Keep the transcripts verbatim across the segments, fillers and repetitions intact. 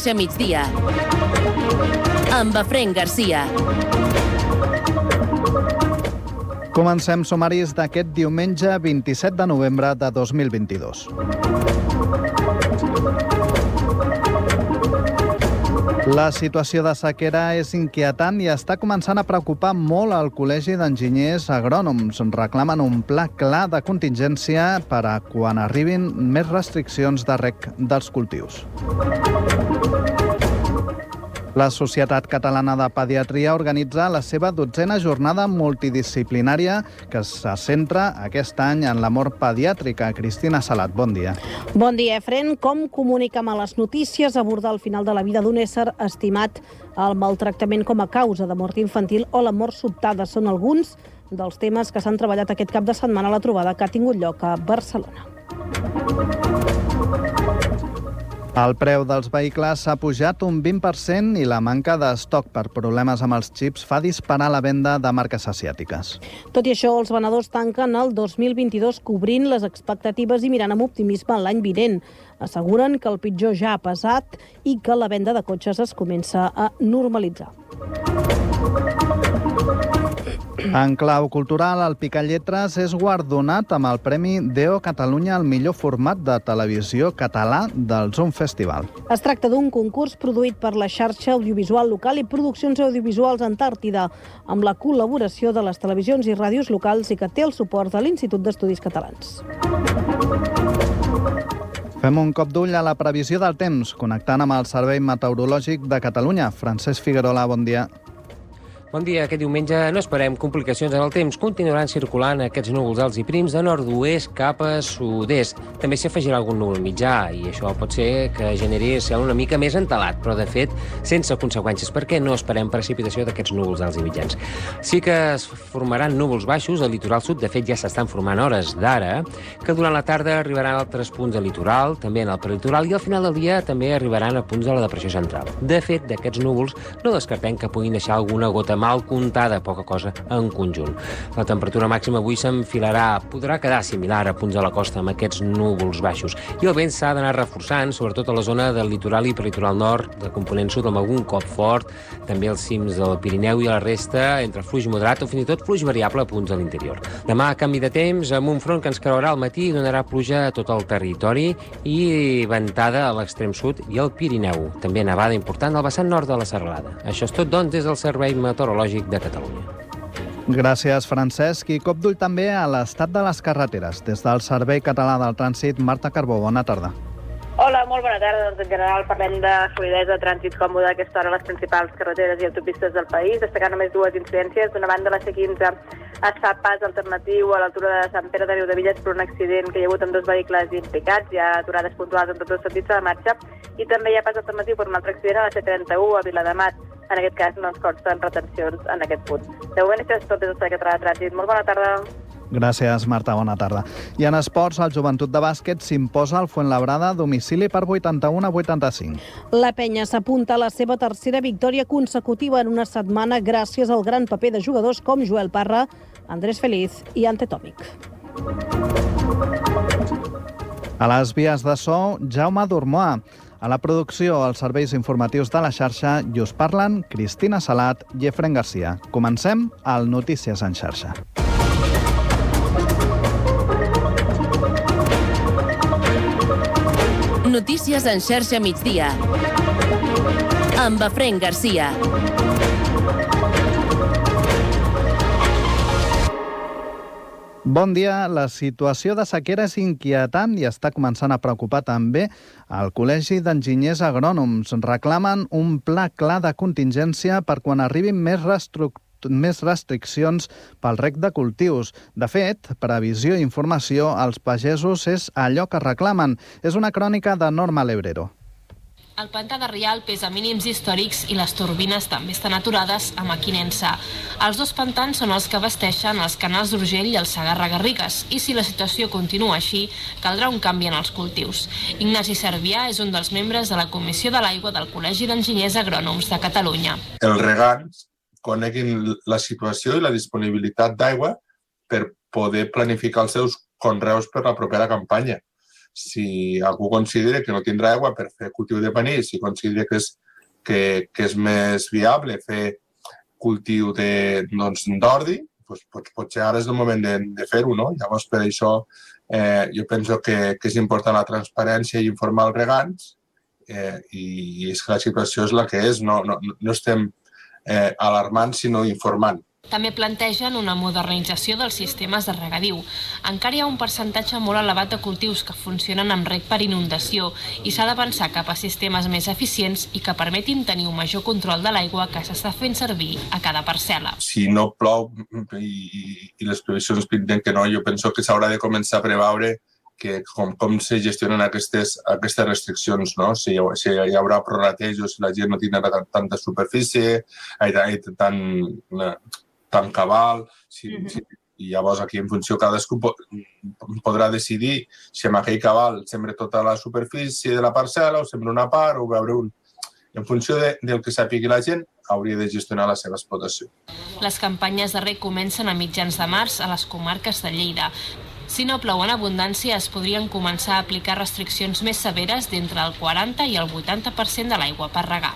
Xarxa Migdia amb Efraín Garcia. Comencem sumaris d'aquest diumenge vint-i-set de novembre de dos mil vint-i-dos. La situació de sequera és inquietant i està començant a preocupar molt el Col·legi d'Enginyers Agrònoms. Reclamen un pla clar de contingència per a quan arribin més restriccions de reg dels cultius. La Societat Catalana de Pediatria organitza la seva dotzena jornada multidisciplinària que se centra aquest any en la mort pediàtrica. Cristina Salat, bon dia. Bon dia, Efraín. Com comunica a les notícies abordar el final de la vida d'un ésser estimat, el maltractament com a causa de mort infantil o la mort sobtada són alguns dels temes que s'han treballat aquest cap de setmana a la trobada que ha tingut lloc a Barcelona. El preu dels vehicles s'ha pujat un vint per cent i la manca d'estoc per problemes amb els xips fa disparar la venda de marques asiàtiques. Tot i això, els venedors tanquen el dos mil vint-i-dos cobrint les expectatives i mirant amb optimisme l'any vinent. Asseguren que el pitjor ja ha passat i que la venda de cotxes es comença a normalitzar. En clau cultural, el Picalletres és guardonat amb el Premi Deo Catalunya al millor format de televisió català del Zoom Festival. Es tracta d'un concurs produït per la xarxa audiovisual local i Produccions Audiovisuals Antàrtida, amb la col·laboració de les televisions i ràdios locals i que té el suport de l'Institut d'Estudis Catalans. Fem un cop d'ull a la previsió del temps, connectant amb el Servei Meteorològic de Catalunya. Francesc Figuerola, bon dia. Bon dia. Aquest diumenge no esperem complicacions en el temps. Continuaran circulant aquests núvols alts i prims de nord-oest cap a sud-est. També s'hi afegirà algun núvol mitjà i això pot ser que generi cel una mica més entelat, però de fet sense conseqüències, perquè no esperem precipitació d'aquests núvols alts i mitjans. Sí que es formaran núvols baixos al litoral sud, de fet ja s'estan formant hores d'ara, que durant la tarda arribaran a altres punts del litoral, també en el prelitoral, i al final del dia també arribaran a punts de la depressió central. De fet, d'aquests núvols no descartem que puguin deixar alguna gota mal comptada, poca cosa en conjunt. La temperatura màxima avui s'enfilarà, podrà quedar similar a punts de la costa amb aquests núvols baixos. I el vent s'ha d'anar reforçant, sobretot a la zona del litoral i prelitoral nord, de component sud, amb algun cop fort, també als cims del Pirineu i a la resta, entre fluix moderat o fins i tot fluix variable a punts de l'interior. Demà, canvi de temps, amb un front que ens creuarà al matí i donarà pluja a tot el territori i ventada a l'extrem sud i al Pirineu. També nevada important al vessant nord de la Serralada. Això és tot, doncs, des del Servei Meteorològic de Catalunya. Gràcies, Francesc. I cop d'ull també a l'estat de les carreteres. Des del Servei Català del Trànsit, Marta Carbó, bona tarda. Hola, molt bona tarda. Doncs en general parlem de fluïdesa de trànsit còmode a aquesta hora a les principals carreteres i autopistes del país, destacant només dues incidències. D'una banda, la C quinze es fa pas alternatiu a l'altura de Sant Pere de Riudebitlles per un accident que hi ha hagut amb dos vehicles implicats. Hi ha aturades puntuals en tots els sentits de la marxa i també hi ha pas alternatiu per un altre accident a la C trenta-u a Viladamat. En aquest cas no ens consten retencions en aquest punt. De moment això és tot des del Servei Català de Trànsit. Molt bona tarda. Gràcies, Marta. Bona tarda. I en esports, el Joventut de Bàsquet s'imposa al Fuenlabrada a domicili per vuitanta-u a vuitanta-cinc. La penya s'apunta a la seva tercera victòria consecutiva en una setmana gràcies al gran paper de jugadors com Joel Parra, Andrés Feliz i Ante Tòmic. A les vies de so, Jaume Dormoà. A la producció, els serveis informatius de la xarxa i us parlen Cristina Salat i Efraín Garcia. Comencem al Notícies en xarxa. Notícies en xarxa migdia amb Efraín Garcia. Bon dia. La situació de sequera és inquietant i està començant a preocupar també el Col·legi d'Enginyers Agrònoms. Reclamen un pla clar de contingència per quan arribin més reestructuracions més restriccions pel reg de cultius. De fet, previsió i informació als pagesos és allò que reclamen. És una crònica de Norma Lebrero. El pantà de Rialp és a mínims històrics i les turbines també estan aturades a Mequinensa. Els dos pantans són els que abasteixen els canals d'Urgell i el Segarra-Garrigues i si la situació continua així, caldrà un canvi en els cultius. Ignasi Servià és un dels membres de la Comissió de l'Aigua del Col·legi d'Enginyers Agrònoms de Catalunya. Els regants coneguin la situació i la disponibilitat d'aigua per poder planificar els seus conreus per la propera campanya. si algú considera que no tindrà aigua per fer cultiu de panís, si considera que és, que, que és més viable fer cultiu de, doncs, d'ordi, doncs, doncs, potser ara és el moment de, de fer-ho, no? Llavors, per això, eh, jo penso que, que és important la transparència i informar els regants, eh, i, i és que la situació és la que és, no, no, no estem eh, alarmant, sinó informant. També plantegen una modernització dels sistemes de regadiu. Encara hi ha un percentatge molt elevat de cultius que funcionen amb reg per inundació i s'ha de pensar cap a sistemes més eficients i que permetin tenir un major control de l'aigua que s'està fent servir a cada parcel·la. Si no plou i, i les previsions pinten que no, jo penso que s'haurà de començar a preveure que com, com se gestionen aquestes, aquestes restriccions, no? Si, si hi haurà prorratejos, si la gent no tindrà tanta superfície, tant, tant cabal, si, mm-hmm. si, i llavors aquí en funció cadascú podrà decidir si amb aquell cabal sembra tota la superfície de la parcel·la o sembra una part o veure un... En funció de, del que sàpigui la gent, hauria de gestionar la seva explotació. Les campanyes de reg comencen a mitjans de març a les comarques de Lleida. Si no plou en abundància, es podrien començar a aplicar restriccions més severes d'entre el quaranta i el vuitanta per cent de l'aigua per regar.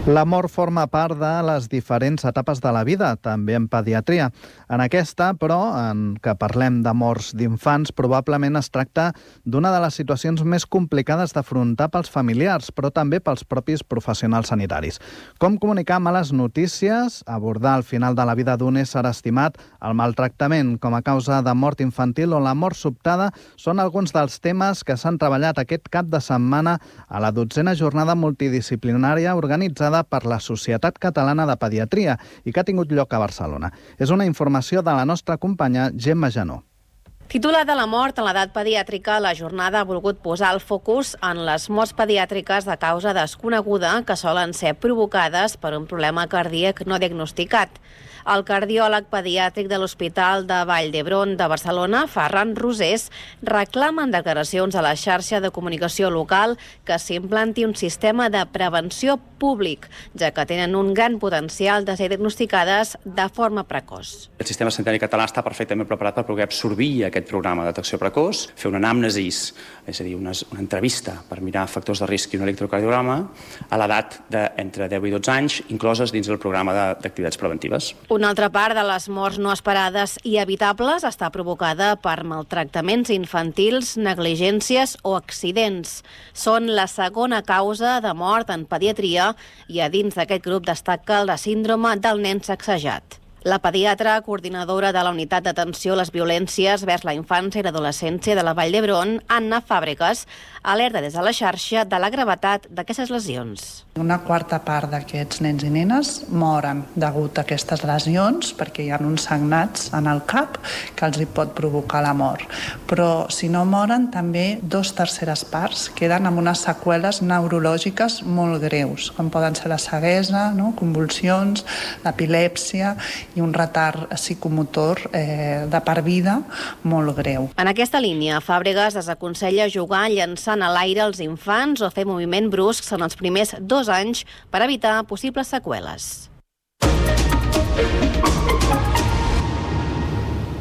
L'amor forma part de les diferents etapes de la vida, també en pediatria. En aquesta, però, en què parlem d'amors d'infants, probablement es tracta d'una de les situacions més complicades d'afrontar pels familiars, però també pels propis professionals sanitaris. Com comunicar males notícies, abordar al final de la vida d'un ésser estimat, el maltractament com a causa de mort infantil o la mort sobtada són alguns dels temes que s'han treballat aquest cap de setmana a la dotzena jornada multidisciplinària organitzada per la Societat Catalana de Pediatria i que ha tingut lloc a Barcelona. És una informació de la nostra companya Gemma Janó. Titulada La mort en l'edat pediàtrica, la jornada ha volgut posar el focus en les morts pediàtriques de causa desconeguda que solen ser provocades per un problema cardíac no diagnosticat. El cardiòleg pediàtric de l'Hospital de Vall d'Hebron de Barcelona, Ferran Rosés, reclama en declaracions a la xarxa de comunicació local que s'implanti un sistema de prevenció públic, ja que tenen un gran potencial de ser diagnosticades de forma precoç. El sistema sanitari català està perfectament preparat per poder absorbir aquest programa de detecció precoç, fer una anàmnesis, és a dir, una, una entrevista per mirar factors de risc i un electrocardiograma a l'edat d'entre deu i dotze anys, incloses dins del programa d'activitats preventives. Una altra part de les morts no esperades i evitables està provocada per maltractaments infantils, negligències o accidents. Són la segona causa de mort en pediatria i a dins d'aquest grup destaca la síndrome del nen sacsejat. La pediatra, coordinadora de la Unitat d'Atenció a les Violències vers la Infància i l'Adolescència de la Vall d'Hebron, Anna Fàbregas, alerta des de la xarxa de la gravetat d'aquestes lesions. Una quarta part d'aquests nens i nenes moren degut a aquestes lesions perquè hi ha uns sagnats en el cap que els hi pot provocar la mort. Però si no moren, també dos terceres parts queden amb unes seqüeles neurològiques molt greus, com poden ser la ceguesa, no? Convulsions, l'epilèpsia i un retard psicomotor eh, de per vida molt greu. En aquesta línia, Fàbregas desaconsella jugar llançant a l'aire els infants o fer moviment bruscs en els primers dos anys per evitar possibles seqüeles.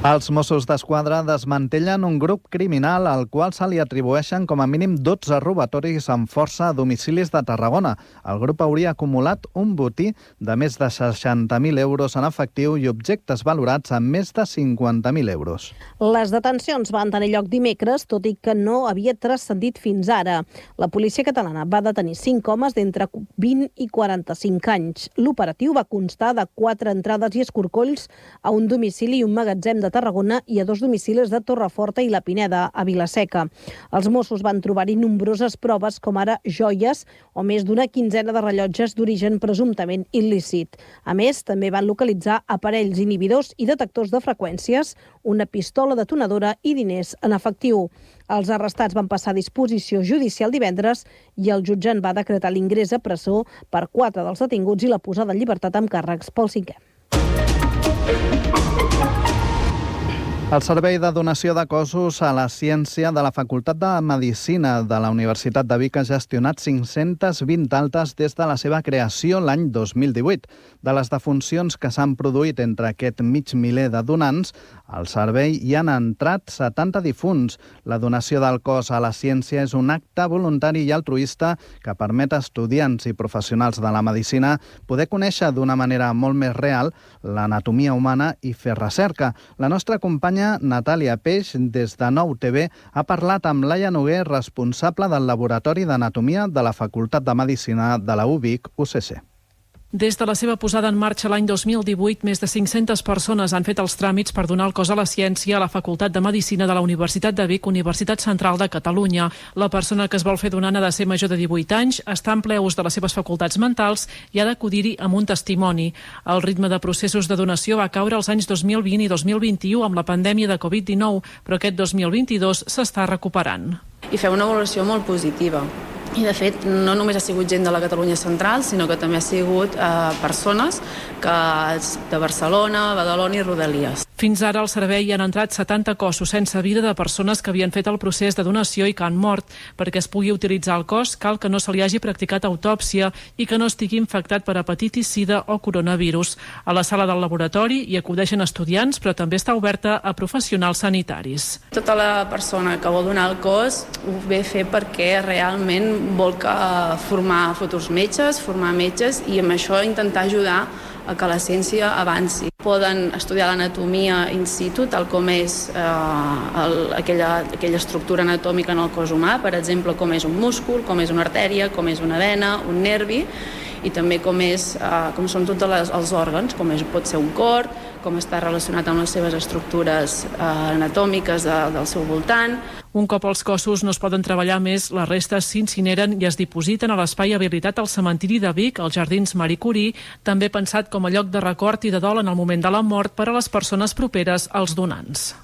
Els Mossos d'Esquadra desmantellen un grup criminal al qual se li atribueixen com a mínim dotze robatoris amb força a domicilis de Tarragona. El grup hauria acumulat un botí de més de seixanta mil euros en efectiu i objectes valorats en més de cinquanta mil euros. Les detencions van tenir lloc dimecres, tot i que no havia transcendit fins ara. La policia catalana va detenir cinc homes d'entre vint i quaranta-cinc anys. L'operatiu va constar de quatre entrades i escorcolls a un domicili i un magatzem de Tarragona i a dos domicilis de Torreforta i la Pineda, a Vilaseca. Els Mossos van trobar-hi nombroses proves, com ara joies o més d'una quinzena de rellotges d'origen presumptament il·lícit. A més, també van localitzar aparells inhibidors i detectors de freqüències, una pistola detonadora i diners en efectiu. Els arrestats van passar a disposició judicial divendres i el jutjant va decretar l'ingrés a presó per quatre dels detinguts i la posada en llibertat amb càrrecs pel cinquè. El Servei de Donació de Cossos a la Ciència de la Facultat de Medicina de la Universitat de Vic ha gestionat cinc-centes vint altes des de la seva creació l'any dos mil divuit. De les defuncions que s'han produït entre aquest mig miler de donants, al servei hi han entrat setanta difunts. La donació del cos a la ciència és un acte voluntari i altruista que permet a estudiants i professionals de la medicina poder conèixer d'una manera molt més real l'anatomia humana i fer recerca. La nostra companya Natàlia Peix, des de Nou T V, ha parlat amb Laia Noguer, responsable del Laboratori d'Anatomia de la Facultat de Medicina de la U Vic U C C. Des de la seva posada en marxa l'any dos mil divuit, més de cinc-centes persones han fet els tràmits per donar el cos a la ciència a la Facultat de Medicina de la Universitat de Vic, Universitat Central de Catalunya. La persona que es vol fer donant ha de ser major de divuit anys, està en ple ús de les seves facultats mentals i ha d'acudir-hi amb un testimoni. El ritme de processos de donació va caure els anys dos mil vint i dos mil vint-i-u amb la pandèmia de covid dinou, però aquest dos mil vint-i-dos s'està recuperant. I feu una valoració molt positiva. I, de fet, no només ha sigut gent de la Catalunya central, sinó que també ha sigut eh, persones que de Barcelona, Badalona i Rodalies. Fins ara al servei hi han entrat setanta cossos sense vida de persones que havien fet el procés de donació i que han mort. Perquè es pugui utilitzar el cos, cal que no se li hagi practicat autòpsia i que no estigui infectat per hepatitis, sida o coronavirus. A la sala del laboratori hi acudeixen estudiants, però també està oberta a professionals sanitaris. Tota la persona que vol donar el cos ho ve a fer perquè realment vol que formar futurs metges, formar metges i amb això intentar ajudar a que la ciència avanci. Poden estudiar l'anatomia in situ, tal com és eh, el, aquella, aquella estructura anatòmica en el cos humà, per exemple, com és un múscul, com és una artèria, com és una vena, un nervi, i també com, és, eh, com són tots les, els òrgans, com és, pot ser un cor, com està relacionat amb les seves estructures eh, anatòmiques de, del seu voltant. Un cop els cossos no es poden treballar més, les restes s'incineren i es dipositen a l'espai habilitat al cementiri de Vic, als Jardins Marie Curie, també pensat com a lloc de record i de dol en el moment de la mort per a les persones properes als donants.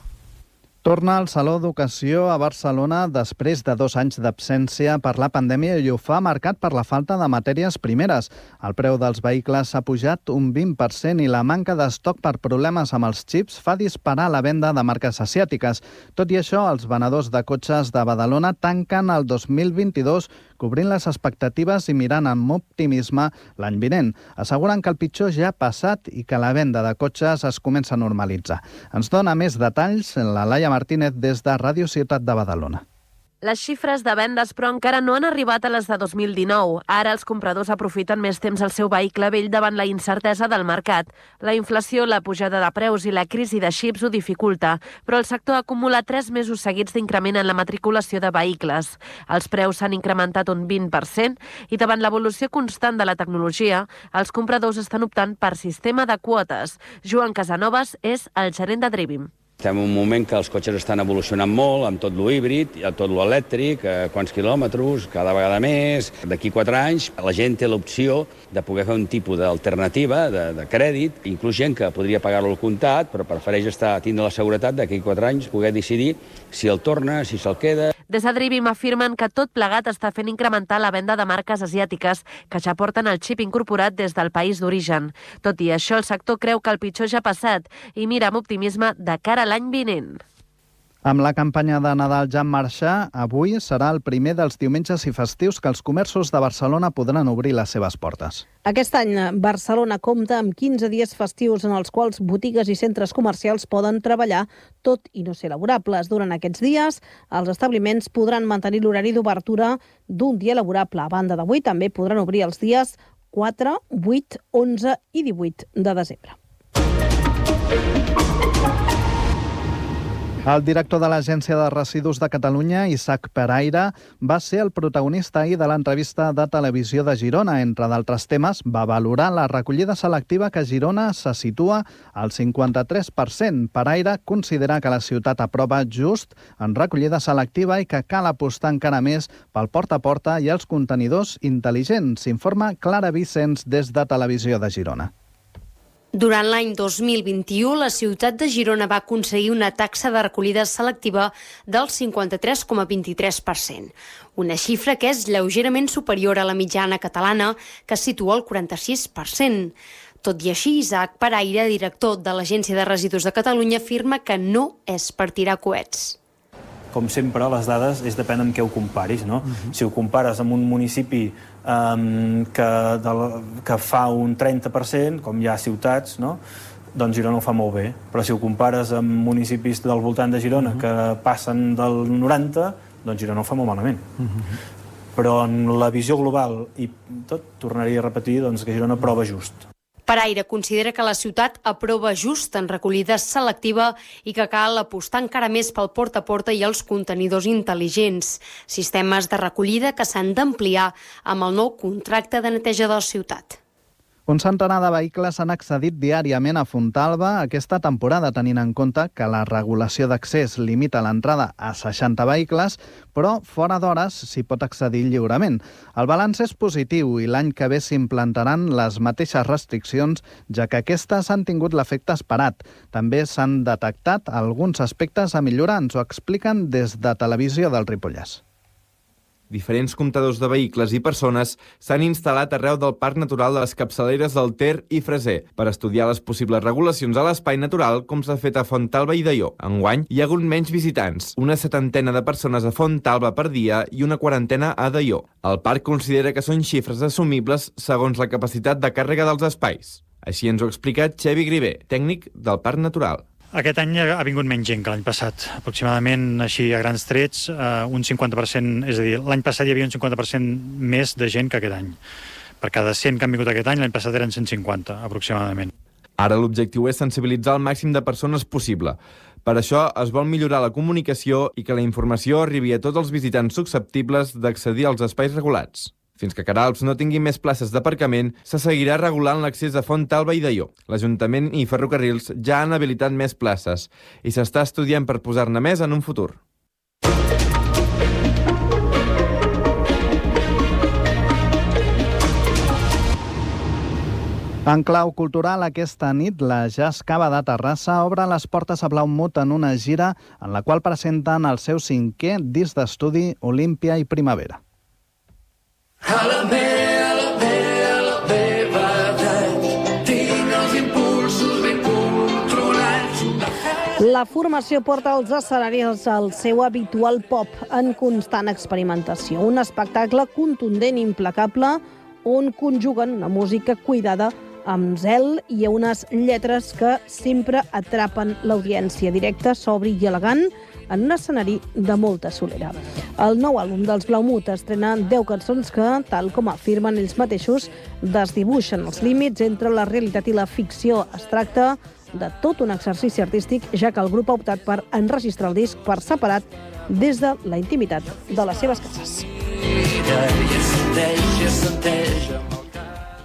Torna al Saló d'Ocasió a Barcelona després de dos anys d'absència per la pandèmia i ho fa marcat per la falta de matèries primeres. El preu dels vehicles s'ha pujat un vint per cent i la manca d'estoc per problemes amb els xips fa disparar la venda de marques asiàtiques. Tot i això, els venedors de cotxes de Badalona tanquen el dos mil vint-i-dos cobrint les expectatives i mirant amb optimisme l'any vinent. Asseguren que el pitjor ja ha passat i que la venda de cotxes es comença a normalitzar. Ens dona més detalls la Laia Martínez des de Ràdio Ciutat de Badalona. Les xifres de vendes, però, encara no han arribat a les de dos mil dinou. Ara els compradors aprofiten més temps el seu vehicle vell davant la incertesa del mercat. La inflació, la pujada de preus i la crisi de xips ho dificulta, però el sector acumula tres mesos seguits d'increment en la matriculació de vehicles. Els preus s'han incrementat un vint per cent i davant l'evolució constant de la tecnologia, els compradors estan optant per sistema de quotes. Joan Casanovas és el gerent de Drivim. Estem en un moment que els cotxes estan evolucionant molt, amb tot lo híbrid, tot lo elèctric, eh, quants quilòmetres, cada vegada més. D'aquí quatre anys la gent té l'opció de poder fer un tipus d'alternativa de, de crèdit, inclús gent que podria pagar-lo al comptat, però prefereix estar tindre la seguretat d'aquí quatre anys poder decidir si el torna, si se'l queda. Des de Drivim afirmen que tot plegat està fent incrementar la venda de marques asiàtiques que ja porten el xip incorporat des del país d'origen. Tot i això, el sector creu que el pitjor ja ha passat i mira amb optimisme de cara a l'any vinent. Amb la campanya de Nadal ja en marxa, avui serà el primer dels diumenges i festius que els comerços de Barcelona podran obrir les seves portes. Aquest any, Barcelona compta amb quinze dies festius en els quals botigues i centres comercials poden treballar tot i no ser laborables. Durant aquests dies, els establiments podran mantenir l'horari d'obertura d'un dia laborable. A banda d'avui, també podran obrir els dies quatre, vuit, onze i divuit de desembre. El director de l'Agència de Residus de Catalunya, Isaac Peraire, va ser el protagonista ahir de l'entrevista de Televisió de Girona. Entre d'altres temes, va valorar la recollida selectiva que a Girona se situa al cinquanta-tres per cent. Peraire considera que la ciutat aprova just en recollida selectiva i que cal apostar encara més pel porta a porta i els contenidors intel·ligents. S'informa Clara Vicens des de Televisió de Girona. Durant l'any dos mil vint-i-u, la ciutat de Girona va aconseguir una taxa de recollida selectiva del cinquanta-tres coma vint-i-tres per cent, una xifra que és lleugerament superior a la mitjana catalana, que es situa al quaranta-sis per cent. Tot i així, Isaac Paraire, director de l'Agència de Residus de Catalunya, afirma que no és per tirar coets. Com sempre, les dades és depèn amb què ho comparis, no? Uh-huh. Si ho compares amb un municipi um, que, de, que fa un trenta per cent, com hi ha ciutats, no? Doncs Girona ho fa molt bé. Però si ho compares amb municipis del voltant de Girona uh-huh. que passen del noranta, doncs Girona ho fa molt malament. Uh-huh. Però en la visió global i tot, tornaria a repetir doncs, que Girona prova just. Paraire considera que la ciutat aprova just en recollida selectiva i que cal apostar encara més pel porta a porta i els contenidors intel·ligents, sistemes de recollida que s'han d'ampliar amb el nou contracte de neteja de la ciutat. Un centenar de vehicles han accedit diàriament a Fontalba aquesta temporada, tenint en compte que la regulació d'accés limita l'entrada a seixanta vehicles, però fora d'hores s'hi pot accedir lliurement. El balanç és positiu i l'any que ve s'implantaran les mateixes restriccions, ja que aquestes han tingut l'efecte esperat. També s'han detectat alguns aspectes a millorar, ens ho expliquen des de Televisió del Ripollès. Diferents comptadors de vehicles i persones s'han instal·lat arreu del Parc Natural de les Capçaleres del Ter i Freser per estudiar les possibles regulacions a l'espai natural, com s'ha fet a Fontalba i Deió. Enguany hi ha hagut menys visitants, una setantena de persones a Fontalba per dia i una quarantena a Deió. El parc considera que són xifres assumibles segons la capacitat de càrrega dels espais. Així ens ho ha explicat Xevi Grivé, tècnic del Parc Natural. Aquest any ha vingut menys gent que l'any passat. Aproximadament, així a grans trets, eh, un cinquanta per cent, és a dir, l'any passat hi havia un cinquanta per cent més de gent que aquest any. Per cada cent que han vingut aquest any, l'any passat eren cent cinquanta, aproximadament. Ara l'objectiu és sensibilitzar el màxim de persones possible. Per això es vol millorar la comunicació i que la informació arribi a tots els visitants susceptibles d'accedir als espais regulats. Fins que Queralbs no tingui més places d'aparcament, se seguirà regulant l'accés a Fontalba i Deió. L'Ajuntament i Ferrocarrils ja han habilitat més places i s'està estudiant per posar-ne més en un futur. En clau cultural, aquesta nit, la Jazz Cava de Terrassa obre les portes a Blaumut en una gira en la qual presenten el seu cinquè disc d'estudi Olímpia i Primavera. A la meva, a la meva, a la meva edat, tinc els impulsos ben controlats. La formació porta als escenaris el seu habitual pop en constant experimentació. Un espectacle contundent i implacable on conjuguen una música cuidada amb zel i unes lletres que sempre atrapen l'audiència, directa, sobri i elegant, en un escenari de molta solera. El nou àlbum dels Blaumut estrena deu cançons que, tal com afirmen ells mateixos, desdibuixen els límits entre la realitat i la ficció. Es tracta de tot un exercici artístic, ja que el grup ha optat per enregistrar el disc per separat des de la intimitat de les seves cases.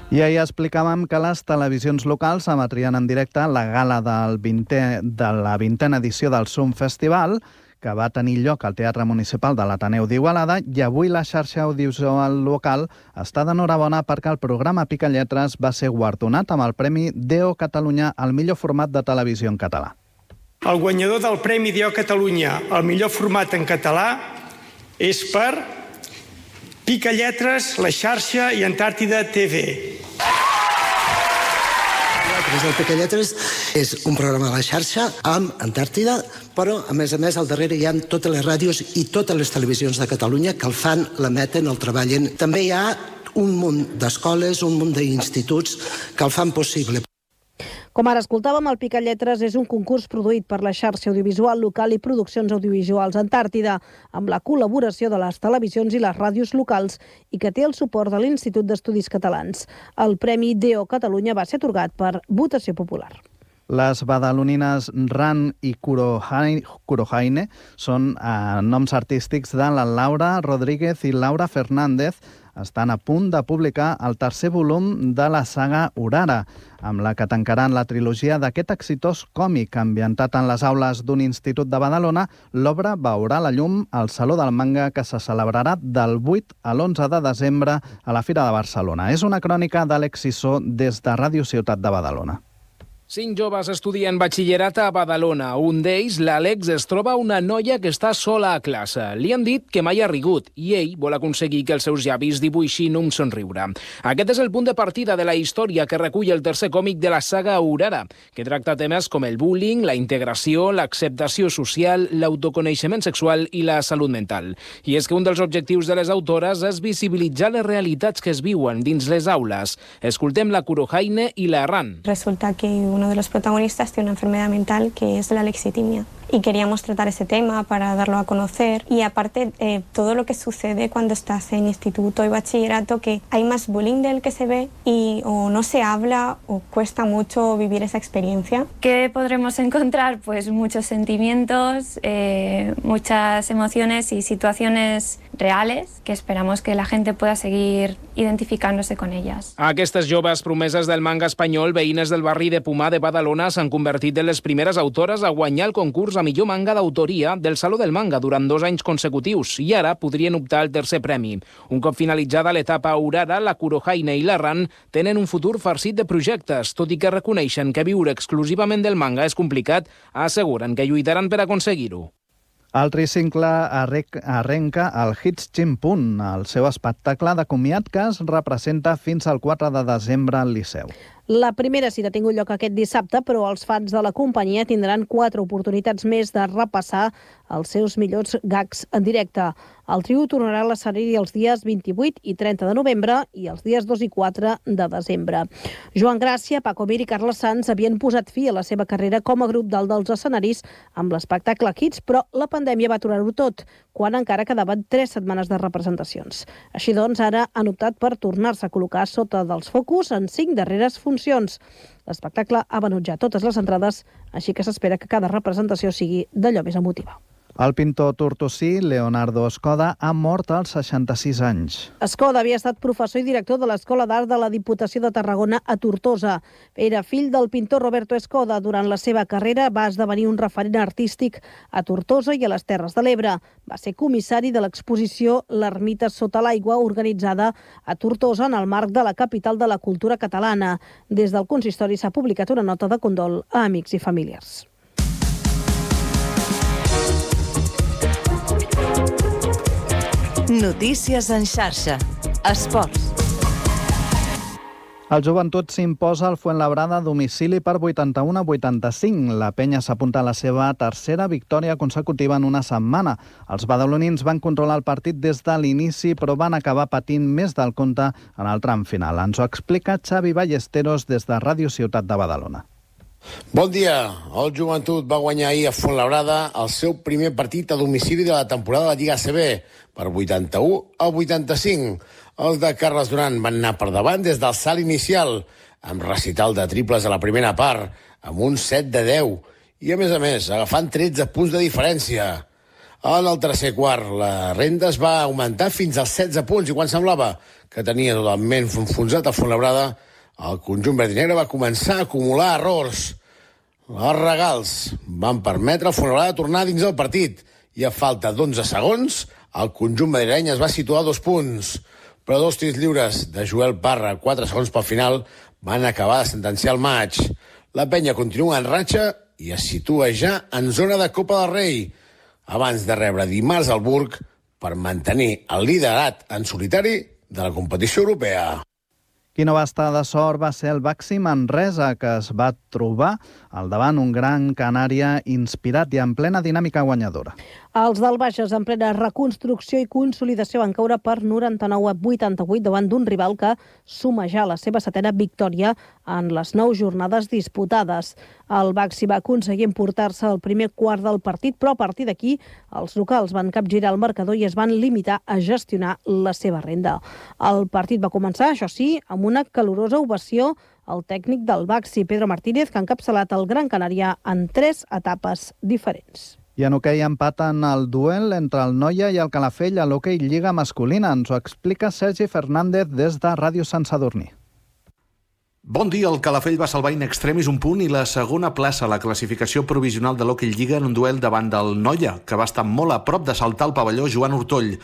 I ahir explicàvem que les televisions locals emetrien en directe la gala del vintè, de la vintena edició del Zoom Festival, que va tenir lloc al Teatre Municipal de l'Ateneu d'Igualada, i avui la xarxa audiovisual local està d'enhorabona perquè el programa Picalletres va ser guardonat amb el Premi D O Catalunya al millor format de televisió en català. El guanyador del Premi D O Catalunya al millor format en català és per Picalletres, La Xarxa i Antàrtida T V. El Picalletres és un programa de la xarxa amb Antàrtida, però a més a més al darrere hi ha totes les ràdios i totes les televisions de Catalunya que el fan, l'emeten, el treballen. També hi ha un munt d'escoles, un munt d'instituts que el fan possible. Com ara escoltàvem, el Picalletres és un concurs produït per la xarxa audiovisual local i Produccions Audiovisuals Antàrtida, amb la col·laboració de les televisions i les ràdios locals i que té el suport de l'Institut d'Estudis Catalans. El Premi D O Catalunya va ser atorgat per votació popular. Les badalonines Ran i Kurohaine són eh, noms artístics de la Laura Rodríguez i Laura Fernández. Estan a punt de publicar el tercer volum de la saga Urara, amb la que tancaran la trilogia d'aquest exitós còmic ambientat en les aules d'un institut de Badalona. L'obra veurà la llum al Saló del Manga, que se celebrarà del vuit a l'onze de desembre a la Fira de Barcelona. És una crònica d'Àlex Sissó des de Ràdio Ciutat de Badalona. Cinc joves estudien batxillerat a Badalona. Un d'ells, l'Àlex, es troba una noia que està sola a classe. Li han dit que mai ha rigut i ell vol aconseguir que els seus llavis dibuixin un somriure. Aquest és el punt de partida de la història que recull el tercer còmic de la saga Aurora, que tracta temes com el bullying, la integració, l'acceptació social, l'autoconeixement sexual i la salut mental. I és que un dels objectius de les autores és visibilitzar les realitats que es viuen dins les aules. Escoltem la Kurohaine i la Ran. Resulta que uno de los protagonistas tiene una enfermedad mental que es la alexitimia. Y queríamos tratar ese tema para darlo a conocer. Y aparte, eh, todo lo que sucede cuando estás en instituto y bachillerato, que hay más bullying del que se ve y o no se habla o cuesta mucho vivir esa experiencia. ¿Qué podremos encontrar? Pues muchos sentimientos, eh, muchas emociones y situaciones reales que esperamos que la gente pueda seguir identificándose con ellas. Aquestes joves promeses del manga espanyol, veïnes del barri de Pumar de Badalona, s'han convertit en les primeres autores a guanyar el concurs a millor manga d'autoria del Saló del Manga durant dos anys consecutius i ara podrien optar al tercer premi. Un cop finalitzada l'etapa Aurora, la Kurohaine i la Ran tenen un futur farcit de projectes, tot i que reconeixen que viure exclusivament del manga és complicat, asseguren que lluitaran per aconseguir-ho. El tricicle arrenca el Hits Chimpun, el seu espectacle de comiat que es representa fins al quatre de desembre al Liceu. La primera cita ha tingut lloc aquest dissabte, però els fans de la companyia tindran quatre oportunitats més de repassar els seus millors gags en directe. El trio tornarà a l'escenari els dies vint-i-vuit i trenta de novembre i els dies dos i quatre de desembre. Joan Gràcia, Paco Mir i Carles Sanz havien posat fi a la seva carrera com a grup dalt dels escenaris amb l'espectacle Hits, però la pandèmia va aturar-ho tot, quan encara quedaven tres setmanes de representacions. Així doncs, ara han optat per tornar-se a col·locar sota dels focus en cinc darreres funcions. L'espectacle ha venut ja totes les entrades, així que s'espera que cada representació sigui d'allò més emotiva. El pintor tortosí Leonardo Escoda ha mort als seixanta-sis anys. Escoda havia estat professor i director de l'Escola d'Art de la Diputació de Tarragona a Tortosa. Era fill del pintor Roberto Escoda. Durant la seva carrera va esdevenir un referent artístic a Tortosa i a les Terres de l'Ebre. Va ser comissari de l'exposició L'Ermita sota l'aigua, organitzada a Tortosa en el marc de la capital de la cultura catalana. Des del consistori s'ha publicat una nota de condol a amics i familiars. Notícies en xarxa. Esports. El Joventut s'imposa al Fuenlabrada a domicili per vuitanta-u a vuitanta-cinc. La penya s'apunta a la seva tercera victòria consecutiva en una setmana. Els badalonins van controlar el partit des de l'inici, però van acabar patint més del compte en el tram final. Ens ho explica Xavi Ballesteros des de Ràdio Ciutat de Badalona. Bon dia. El Joventut va guanyar ahir a Fuenlabrada el seu primer partit a domicili de la temporada de la Lliga A C B per vuitanta-u a vuitanta-cinc. Els de Carles Duran van anar per davant des del salt inicial, amb recital de triples a la primera part, amb un set de deu, i a més a més, agafant tretze punts de diferència. En el tercer quart, la renda es va augmentar fins als setze punts, i quan semblava que tenia totalment enfonsat a Fuenlabrada, el conjunt verd i negre va començar a acumular errors. Els regals van permetre al Fuenlabrada tornar dins el partit, i a falta d'onze segons, el conjunt madrileny es va situar a dos punts. Però dos tirs lliures de Joel Parra, quatre segons pel final, van acabar de sentenciar el maig. La penya continua en ratxa i es situa ja en zona de Copa del Rei, abans de rebre dimarts al Burg per mantenir el liderat en solitari de la competició europea. Qui no va estar de sort va ser el Baxi Manresa, que es va trobar al davant un Gran Canària inspirat i en plena dinàmica guanyadora. Els del Bages, en plena reconstrucció i consolidació, van caure per noranta-nou a vuitanta-vuit davant d'un rival que suma ja la seva setena victòria en les nou jornades disputades. El Baxi va aconseguir emportar-se el primer quart del partit, però a partir d'aquí els locals van capgirar el marcador i es van limitar a gestionar la seva renda. El partit va començar, això sí, amb una calorosa ovació al tècnic del Baxi, Pedro Martínez, que ha encapçalat el Gran Canària en tres etapes diferents. I en hoquei empaten el duel entre el Noia i el Calafell a l'hoquei Lliga masculina. Ens ho explica Sergi Fernández des de Ràdio Sant Sadurní. Bon dia, el Calafell va salvar in extremis un punt i la segona plaça a la classificació provisional de l'hoquei Lliga en un duel davant del Noia, que va estar molt a prop de saltar el pavelló Joan Ortoll.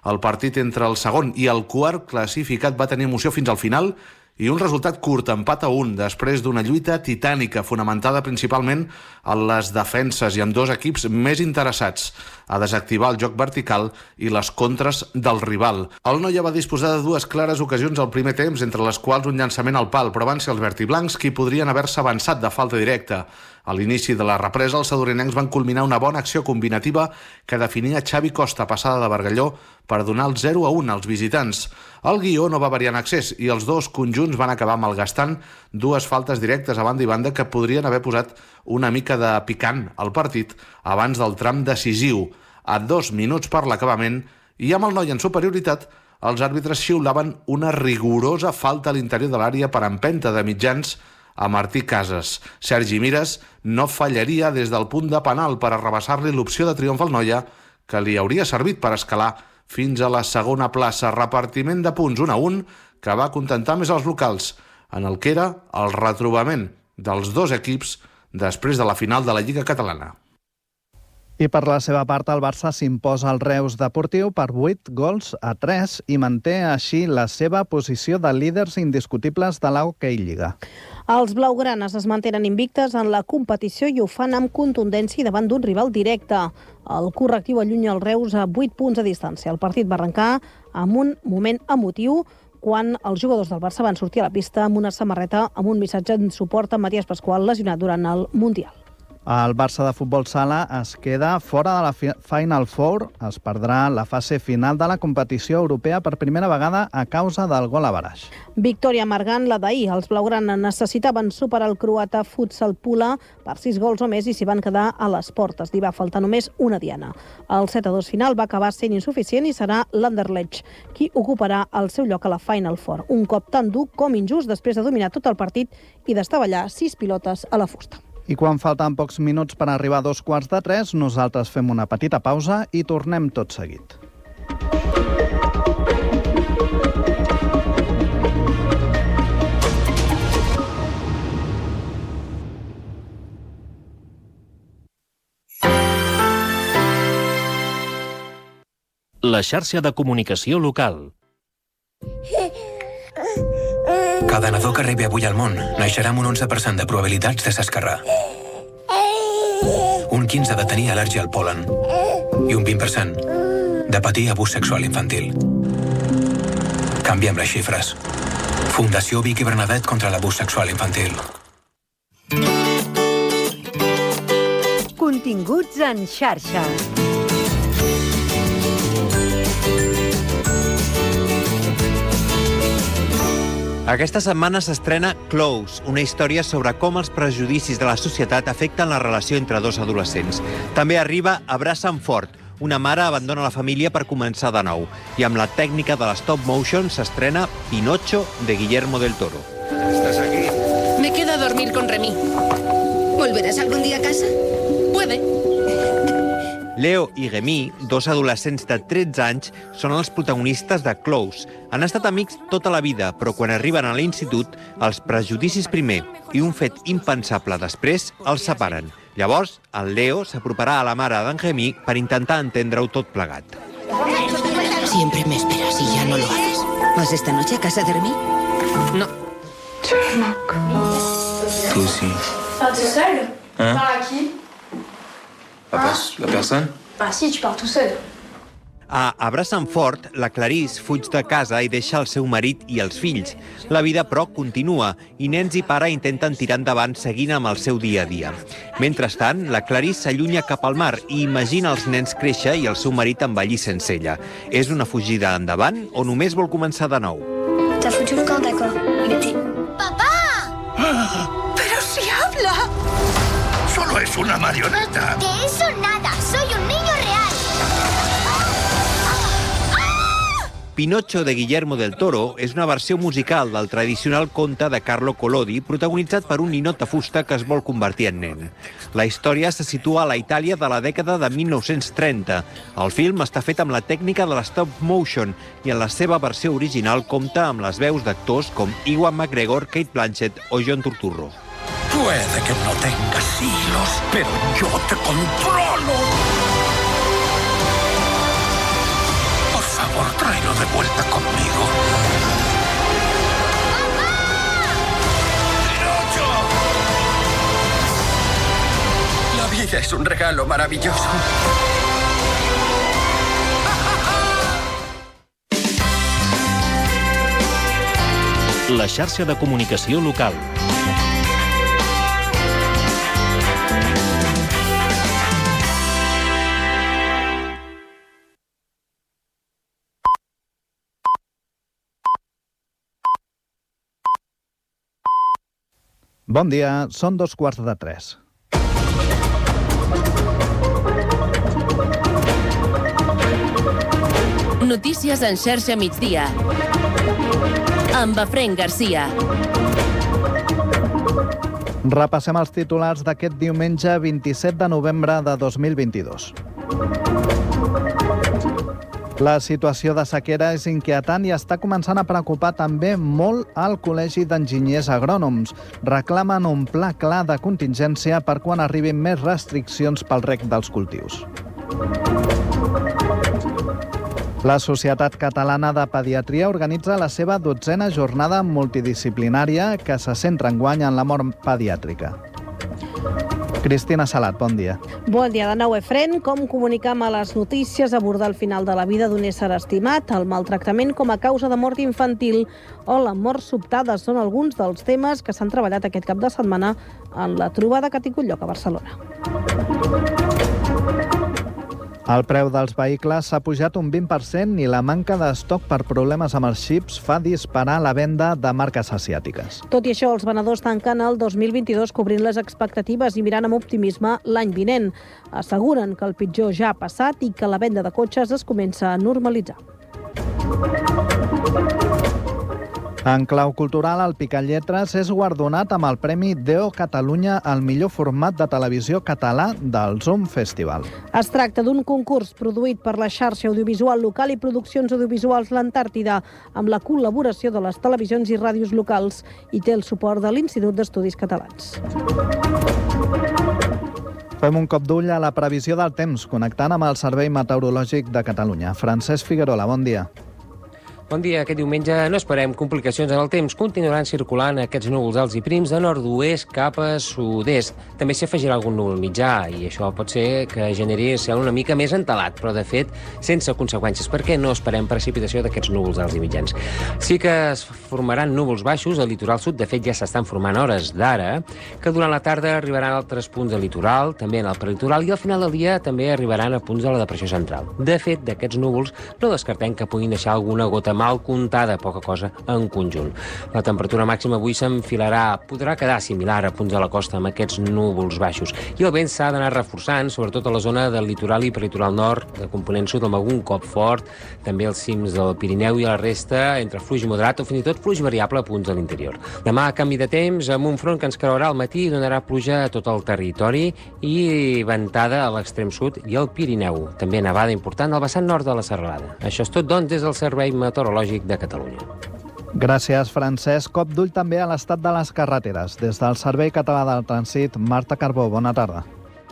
El partit entre el segon i el quart classificat va tenir emoció fins al final i un resultat curt, empat a un, després d'una lluita titànica fonamentada principalment en les defenses i amb dos equips més interessats a desactivar el joc vertical i les contres del rival. El Noia va disposar de dues clares ocasions al primer temps, entre les quals un llançament al pal, però van ser els vertiblancs qui podrien haver-se avançat de falta directa. A l'inici de la represa, els sadorinencs van culminar una bona acció combinativa que definia Xavi Costa, passada de Bargalló, per donar el zero a un als visitants. El guió no va variar en accés i els dos conjunts van acabar malgastant dues faltes directes a banda i banda que podrien haver posat una mica de picant al partit abans del tram decisiu. A dos minuts per l'acabament i amb el Noia en superioritat, els àrbitres xiulaven una rigorosa falta a l'interior de l'àrea per empenta de mitjans a Martí Casas. Sergi Mires no fallaria des del punt de penal per arrabassar-li l'opció de triomf al Noia, que li hauria servit per escalar fins a la segona plaça. Repartiment de punts un a un que va contentar més els locals, en el que era el retrobament dels dos equips després de la final de la Lliga Catalana. I per la seva part, el Barça s'imposa al Reus Deportiu per vuit gols a tres i manté així la seva posició de líders indiscutibles de l'Hockey Lliga. Els blaugranes es mantenen invictes en la competició i ho fan amb contundència davant d'un rival directe. El correctiu allunya el Reus a vuit punts de distància. El partit va arrencar amb un moment emotiu quan els jugadors del Barça van sortir a la pista amb una samarreta amb un missatge en suport a Matías Pascual, lesionat durant el Mundial. El Barça de futbol sala es queda fora de la Final Four. Es perdrà la fase final de la competició europea per primera vegada a causa del gol a baraix. Victòria amargant la d'ahir. Els blaugrana necessitaven superar el croata Futsal Pula per sis gols o més i s'hi van quedar a les portes. Li va faltar només una diana. El set a dos final va acabar sent insuficient i serà l'Anderlecht qui ocuparà el seu lloc a la Final Four. Un cop tan dur com injust després de dominar tot el partit i d'estavellar sis pilotes a la fusta. I quan falten pocs minuts per arribar a dos quarts de tres, nosaltres fem una petita pausa i tornem tot seguit. La xarxa de comunicació local. Cada nadó que arribi avui al món naixerà amb un onze per cent de probabilitats de s'esquerrar. Un quinze de tenir al·lèrgia al pol·len i un vint per cent de patir abús sexual infantil. Canviem les xifres. Fundació Vic i Bernadette contra l'abús sexual infantil. Continguts en xarxa. Aquesta setmana s'estrena Close, una història sobre com els prejudicis de la societat afecten la relació entre dos adolescents. També arriba Abraça'm fort, una mare abandona la família per començar de nou. I amb la tècnica de l'stop motion s'estrena Pinocho, de Guillermo del Toro. ¿Estás aquí? Me quedo a dormir con Remy. ¿Volverás algún día a casa? Puede. Leo i Remy, dos adolescents de tretze anys, són els protagonistes de Close. Han estat amics tota la vida, però quan arriben a l'institut, els prejudicis primer i un fet impensable després els separen. Llavors, el Leo s'aproparà a la mare d'en Remy per intentar entendre-ho tot plegat. Siempre me esperas y ya no lo haces. ¿Vas esta noche a casa de Remy? No. Tu sí. Pas tout seul? Hein? Par à qui? La, la personne? Bah si, tu pars tout seul. A Abraça'm fort, la Clarisse fuig de casa i deixa el seu marit i els fills. La vida, però, continua i nens i pare intenten tirar endavant seguint amb el seu dia a dia. Mentrestant, la Clarisse s'allunya cap al mar i imagina els nens créixer i el seu marit envellir sense ella. És una fugida endavant o només vol començar de nou? T'as foutu le camp, d'accord. Mais t'es... ¡Papá! ¡Pero si habla! Solo es una marioneta. De eso nada, soy un niño real. Pinocho, de Guillermo del Toro, és una versió musical del tradicional conte de Carlo Collodi, protagonitzat per un ninot de fusta que es vol convertir en nen. La història se situa a la Itàlia de la dècada de mil nou-cents trenta. El film està fet amb la tècnica de l'stop motion i en la seva versió original compta amb les veus d'actors com Ewan McGregor, Kate Blanchett o John Turturro. Puede que no tengas hilos, pero yo te controlo. Por favor, tráelo de vuelta conmigo. ¡Papá! vida es un regalo maravilloso. La xarxa de comunicació local. Bon dia, són dos quarts de tres. Notícies en xarxa migdia. Amb Efraín Garcia. Repassem els titulars d'aquest diumenge vint-i-set de novembre de dos mil vint-i-dos. La situació de sequera és inquietant i està començant a preocupar també molt al Col·legi d'Enginyers Agrònoms. Reclamen un pla clar de contingència per quan arribin més restriccions pel reg dels cultius. La Societat Catalana de Pediatria organitza la seva dotzena jornada multidisciplinària que se centra enguany en la mort pediàtrica. Cristina Salat, bon dia. Bon dia de nou, Efren. Com comunicam a les notícies, abordar el final de la vida d'un ésser estimat, el maltractament com a causa de mort infantil o la mort sobtada són alguns dels temes que s'han treballat aquest cap de setmana en la trobada que ha tingut lloc a Barcelona. El preu dels vehicles s'ha pujat un vint per cent i la manca d'estoc per problemes amb els xips fa disparar la venda de marques asiàtiques. Tot i això, els venedors tanquen el dos mil vint-i-dos cobrint les expectatives i mirant amb optimisme l'any vinent. Asseguren que el pitjor ja ha passat i que la venda de cotxes es comença a normalitzar. En clau cultural, el Picalletres és guardonat amb el Premi Deo Catalunya al millor format de televisió català del Zoom Festival. Es tracta d'un concurs produït per la xarxa audiovisual local i produccions audiovisuals L'Antàrtida, amb la col·laboració de les televisions i ràdios locals i té el suport de l'Institut d'Estudis Catalans. Fem un cop d'ull a la previsió del temps, connectant amb el Servei Meteorològic de Catalunya. Francesc Figuerola, bon dia. Bon dia. Aquest diumenge no esperem complicacions en el temps. Continuaran circulant aquests núvols alts i prims de nord-oest cap a sud-est. També s'hi afegirà algun núvol mitjà i això pot ser que generi cel una mica més entelat, però de fet sense conseqüències, perquè no esperem precipitació d'aquests núvols alts i mitjans. Sí que es formaran núvols baixos al litoral sud, de fet ja s'estan formant hores d'ara, que durant la tarda arribaran a altres punts del litoral, també en el prelitoral, i al final del dia també arribaran a punts de la depressió central. De fet, d'aquests núvols no descartem que puguin deixar alguna gota mal comptada, poca cosa en conjunt. La temperatura màxima avui s'enfilarà, podrà quedar similar a punts de la costa amb aquests núvols baixos. I el vent s'ha d'anar reforçant, sobretot a la zona del litoral i peritoral nord, de component sud, amb algun cop fort, també als cims del Pirineu i a la resta, entre fluix moderat o fins i tot fluix variable a punts de l'interior. Demà, canvi de temps, amb un front que ens creuarà al matí i donarà pluja a tot el territori i ventada a l'extrem sud i al Pirineu. També nevada important al vessant nord de la serralada. Això és tot, doncs, des del Servei Meteorològic de Catalunya. Gràcies, Francesc. Cop d'ull també a l'estat de les carreteres. Des del Servei Català del Trànsit, Marta Carbó, bona tarda.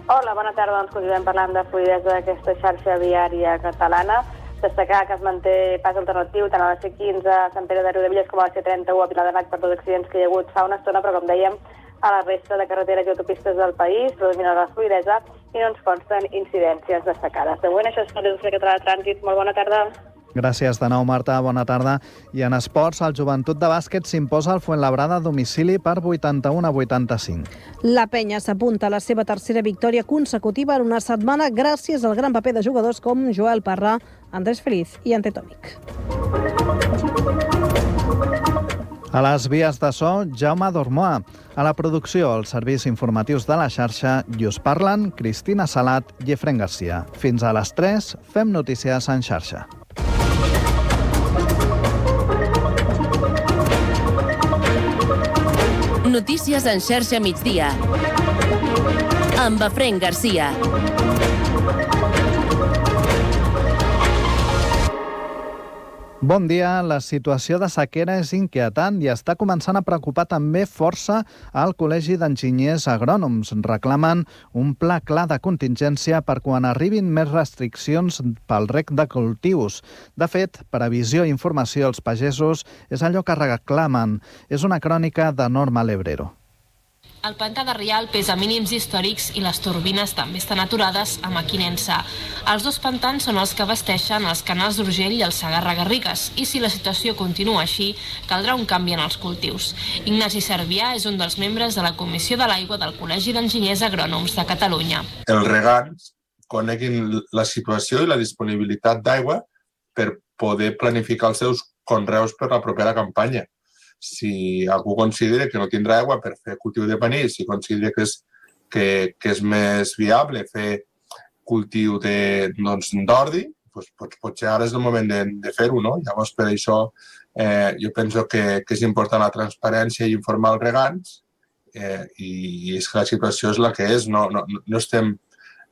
Hola, bona tarda. Doncs continuem parlant de fluïdesa d'aquesta xarxa viària catalana. Destacar que es manté pas alternatiu tant a la C quinze a Sant Pere de Riudebitlles com a la C trenta-u a Vilademat per dos accidents que hi ha hagut fa una estona, però com dèiem, a la resta de carreteres i autopistes del país predomina la fluïdesa i no ens consten incidències destacades. De moment, això és tot des del Servei Català de Trànsit. Molt bona tarda. Gràcies de nou, Marta. Bona tarda. I en esports, el Joventut de Bàsquet s'imposa al Fuenlabrada a domicili per vuitanta-un a vuitanta-cinc. La penya s'apunta a la seva tercera victòria consecutiva en una setmana gràcies al gran paper de jugadors com Joel Parra, Andrés Feliz i Ante Tomic. A les vies de so, Jaume Dormoa. A la producció, els serveis informatius de la xarxa i us parlen Cristina Salat i Efraín Garcia. Fins a les tres, fem notícies en xarxa. Notícies en xarxa migdia. Amb Efraín Garcia. Bon dia. La situació de sequera és inquietant i està començant a preocupar també força al Col·legi d'Enginyers Agrònoms. Reclamen un pla clar de contingència per quan arribin més restriccions pel reg de cultius. De fet, previsió i informació als pagesos és allò que reclamen. És una crònica de Norma Lebrero. El pantà de Rialp és a mínims històrics i les turbines també estan aturades a Mequinensa. Els dos pantans són els que abasteixen els canals d'Urgell i el Segarra-Garrigues, i si la situació continua així, caldrà un canvi en els cultius. Ignasi Servià és un dels membres de la Comissió de l'Aigua del Col·legi d'Enginyers Agrònoms de Catalunya. Els regants coneguin la situació i la disponibilitat d'aigua per poder planificar els seus conreus per la propera campanya. Si algú considera que no tindrà aigua per fer cultiu de panís, si considera que és, que, que és més viable fer cultiu de, doncs, d'ordi, doncs, potser ara és el moment de, de fer-ho, no? Llavors, per això, eh, jo penso que, que és important la transparència i informar els regants, eh, i, i és que la situació és la que és, no, no, no estem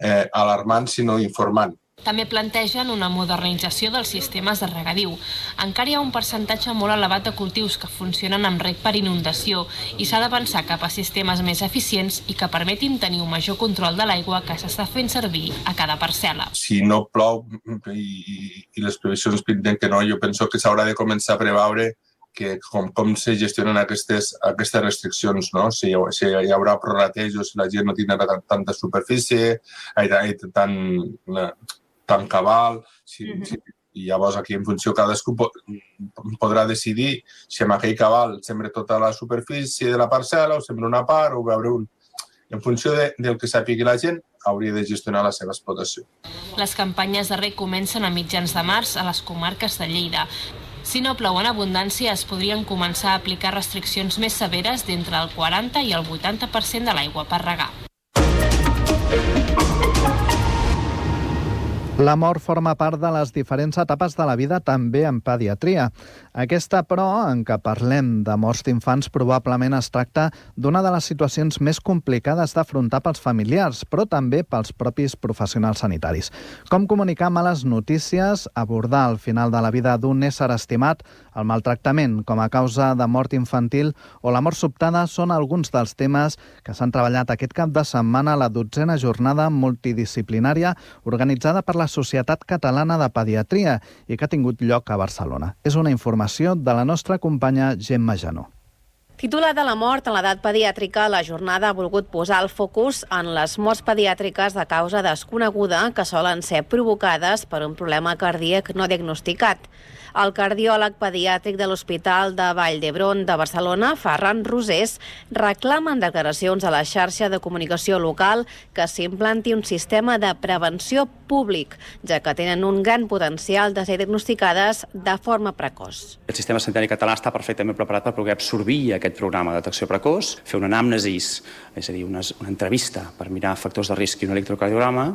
eh, alarmant, sinó informant. També plantegen una modernització dels sistemes de regadiu. Encara hi ha un percentatge molt elevat de cultius que funcionen amb reg per inundació i s'ha d'avançar cap a sistemes més eficients i que permetin tenir un major control de l'aigua que s'està fent servir a cada parcel·la. Si no plou i, i les previsions pinten que no, jo penso que s'haurà de començar a preveure que com, com se gestionen aquestes, aquestes restriccions, no? Si, si hi haurà prorratejos, si la gent no tindrà tanta superfície, tant... tan cabal, si, mm-hmm. si, i llavors aquí en funció cadascú po podrà decidir si amb aquell cabal sembra tota la superfície de la parcel·la o sembra una part o veure un... En funció de, del que sàpigui la gent, hauria de gestionar la seva explotació. Les campanyes de reg comencen a mitjans de març a les comarques de Lleida. Si no plou en abundància, es podrien començar a aplicar restriccions més severes d'entre el quaranta i el vuitanta per cent de l'aigua per regar. La mort forma part de les diferents etapes de la vida, també en pediatria. Aquesta, però, en què parlem de morts d'infants, probablement es tracta d'una de les situacions més complicades d'afrontar pels familiars, però també pels propis professionals sanitaris. Com comunicar males notícies, abordar el final de la vida d'un ésser estimat, el maltractament com a causa de mort infantil o la mort sobtada són alguns dels temes que s'han treballat aquest cap de setmana a la dotzena jornada multidisciplinària organitzada per la Societat Catalana de Pediatria i que ha tingut lloc a Barcelona. És una informació de la nostra companya Gemma Janó. Titulada La mort en l'edat pediàtrica, la jornada ha volgut posar el focus en les morts pediàtriques de causa desconeguda que solen ser provocades per un problema cardíac no diagnosticat. El cardiòleg pediàtric de l'Hospital de Vall d'Hebron de Barcelona, Ferran Rosés, reclama en declaracions a la xarxa de comunicació local que s'implanti un sistema de prevenció públic, ja que tenen un gran potencial de ser diagnosticades de forma precoç. El sistema sanitari català està perfectament preparat per poder absorbir aquest programa de detecció precoç, fer una anàmnesis, és a dir, una, una entrevista per mirar factors de risc i un electrocardiograma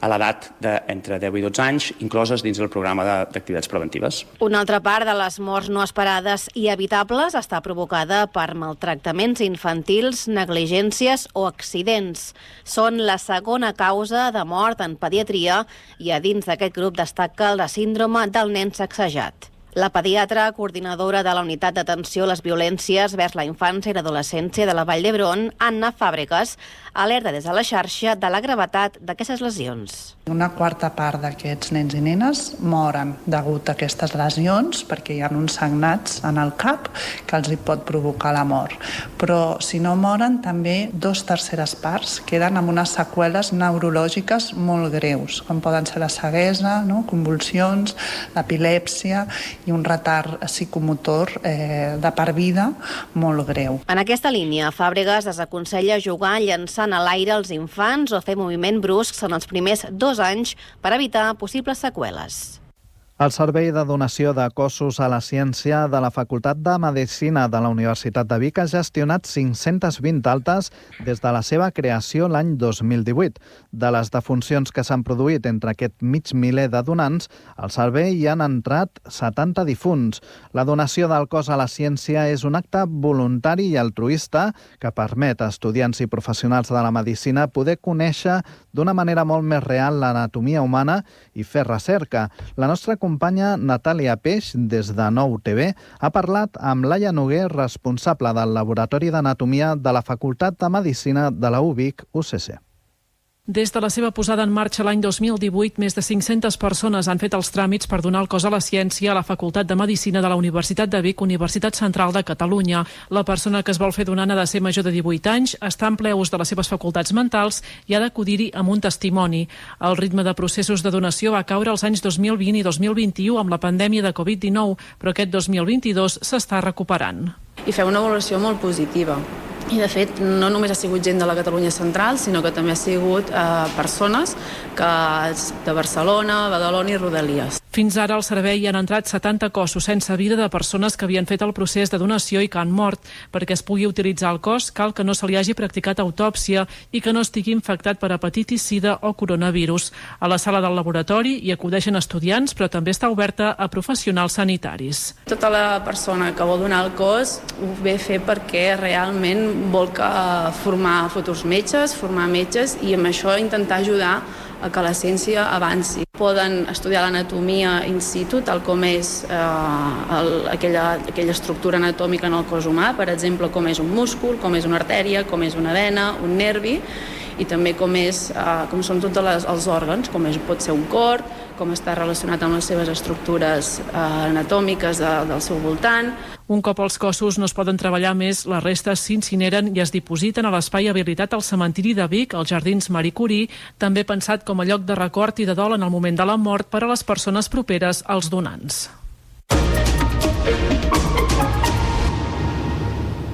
a l'edat d'entre deu i dotze anys, incloses dins del programa d'activitats preventives. Una altra part de les morts no esperades i evitables està provocada per maltractaments infantils, negligències o accidents. Són la segona causa de mort en pediatria i a dins d'aquest grup destaca la síndrome del nen sacsejat. La pediatra, coordinadora de la Unitat d'Atenció a les Violències vers la Infància i l'Adolescència de la Vall d'Hebron, Anna Fàbregas, alerta des de la xarxa de la gravetat d'aquestes lesions. Una quarta part d'aquests nens i nenes moren degut a aquestes lesions perquè hi ha uns sagnats en el cap que els hi pot provocar la mort. Però si no moren, també dos terceres parts queden amb unes seqüeles neurològiques molt greus, com poden ser la ceguesa, no? Convulsions, l'epilèpsia i un retard psicomotor eh, de per vida molt greu. En aquesta línia, Fàbregas desaconsella jugar llançant a l'aire els infants o fer moviment bruscs en els primers dos anys per evitar possibles seqüeles. El Servei de Donació de Cossos a la Ciència de la Facultat de Medicina de la Universitat de Vic ha gestionat cinc-centes vint altes des de la seva creació l'any dos mil divuit. De les defuncions que s'han produït entre aquest mig miler de donants, al servei hi han entrat setanta difunts. La donació del cos a la ciència és un acte voluntari i altruista que permet a estudiants i professionals de la medicina poder conèixer d'una manera molt més real l'anatomia humana i fer recerca. La nostra companya Natàlia Peix, des de Nou T V, ha parlat amb Laia Noguer, responsable del Laboratori d'Anatomia de la Facultat de Medicina de la U Vic U C C. Des de la seva posada en marxa l'any dos mil divuit, més de cinc-centes persones han fet els tràmits per donar el cos a la ciència a la Facultat de Medicina de la Universitat de Vic, Universitat Central de Catalunya. La persona que es vol fer donant ha de ser major de divuit anys, està en ple ús de les seves facultats mentals i ha d'acudir-hi amb un testimoni. El ritme de processos de donació va caure els anys dos mil vint i dos mil vint-i-u amb la pandèmia de covid dinou, però aquest dos mil vint-i-dos s'està recuperant. I feu una valoració molt positiva. I, de fet, no només ha sigut gent de la Catalunya central, sinó que també ha sigut eh, persones que de Barcelona, Badalona i Rodalies. Fins ara al servei hi han entrat setanta cossos sense vida de persones que havien fet el procés de donació i que han mort. Perquè es pugui utilitzar el cos, cal que no se li hagi practicat autòpsia i que no estigui infectat per hepatitis, sida o coronavirus. A la sala del laboratori hi acudeixen estudiants, però també està oberta a professionals sanitaris. Tota la persona que vol donar el cos ho ve fer perquè realment vol que formar futurs metges, formar metges i amb això intentar ajudar a que la ciència avanci. Poden estudiar l'anatomia in situ, tal com és eh, el, aquella, aquella estructura anatòmica en el cos humà, per exemple, com és un múscul, com és una artèria, com és una vena, un nervi, i també com, és, eh, com són tots les, els òrgans, com és, pot ser un cor, com està relacionat amb les seves estructures eh, anatòmiques de, del seu voltant. Un cop els cossos no es poden treballar més, les restes s'incineren i es dipositen a l'espai habilitat al cementiri de Vic, als Jardins Marie Curie, també pensat com a lloc de record i de dol en el moment de la mort per a les persones properes als donants.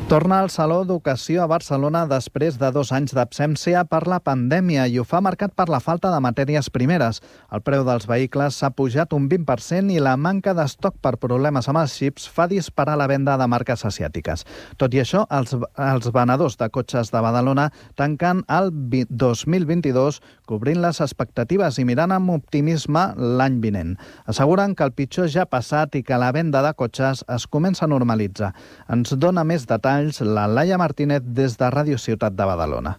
Torna al Saló d'Ocasió a Barcelona després de dos anys d'absència per la pandèmia i ho fa marcat per la falta de matèries primeres. El preu dels vehicles s'ha pujat un vint per cent i la manca d'estoc per problemes amb els xips fa disparar la venda de marques asiàtiques. Tot i això, els, els venedors de cotxes de Badalona tanquen el dos mil vint-i-dos cobrint les expectatives i mirant amb optimisme l'any vinent. Asseguren que el pitjor ja ha passat i que la venda de cotxes es comença a normalitzar. Ens dona més detalls la Laia Martínez des de Ràdio Ciutat de Badalona.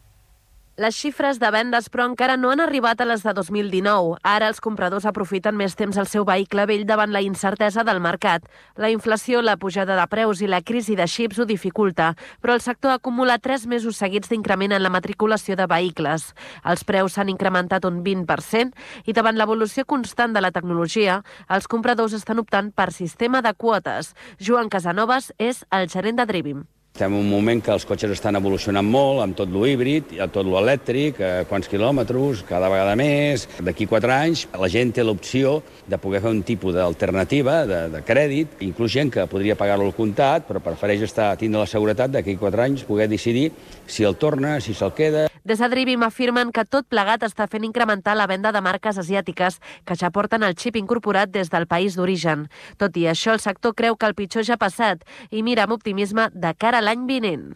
Les xifres de vendes, però, encara no han arribat a les de dos mil dinou. Ara els compradors aprofiten més temps el seu vehicle vell davant la incertesa del mercat. La inflació, la pujada de preus i la crisi de xips ho dificulta, però el sector acumula tres mesos seguits d'increment en la matriculació de vehicles. Els preus s'han incrementat un vint per cent i davant l'evolució constant de la tecnologia, els compradors estan optant per sistema de quotes. Joan Casanovas és el gerent de Drivim. Estem en un moment que els cotxes estan evolucionant molt, amb tot lo híbrid, tot lo elèctric, eh, quants quilòmetres, cada vegada més. D'aquí quatre anys la gent té l'opció de poder fer un tipus d'alternativa de, de crèdit, inclús gent que podria pagar-lo al comptat, però prefereix estar tindre la seguretat d'aquí quatre anys poder decidir si el torna, si se'l queda. Des de Drivim afirmen que tot plegat està fent incrementar la venda de marques asiàtiques que ja porten el xip incorporat des del país d'origen. Tot i això, el sector creu que el pitjor ja ha passat i mira amb optimisme de cara a l'any vinent.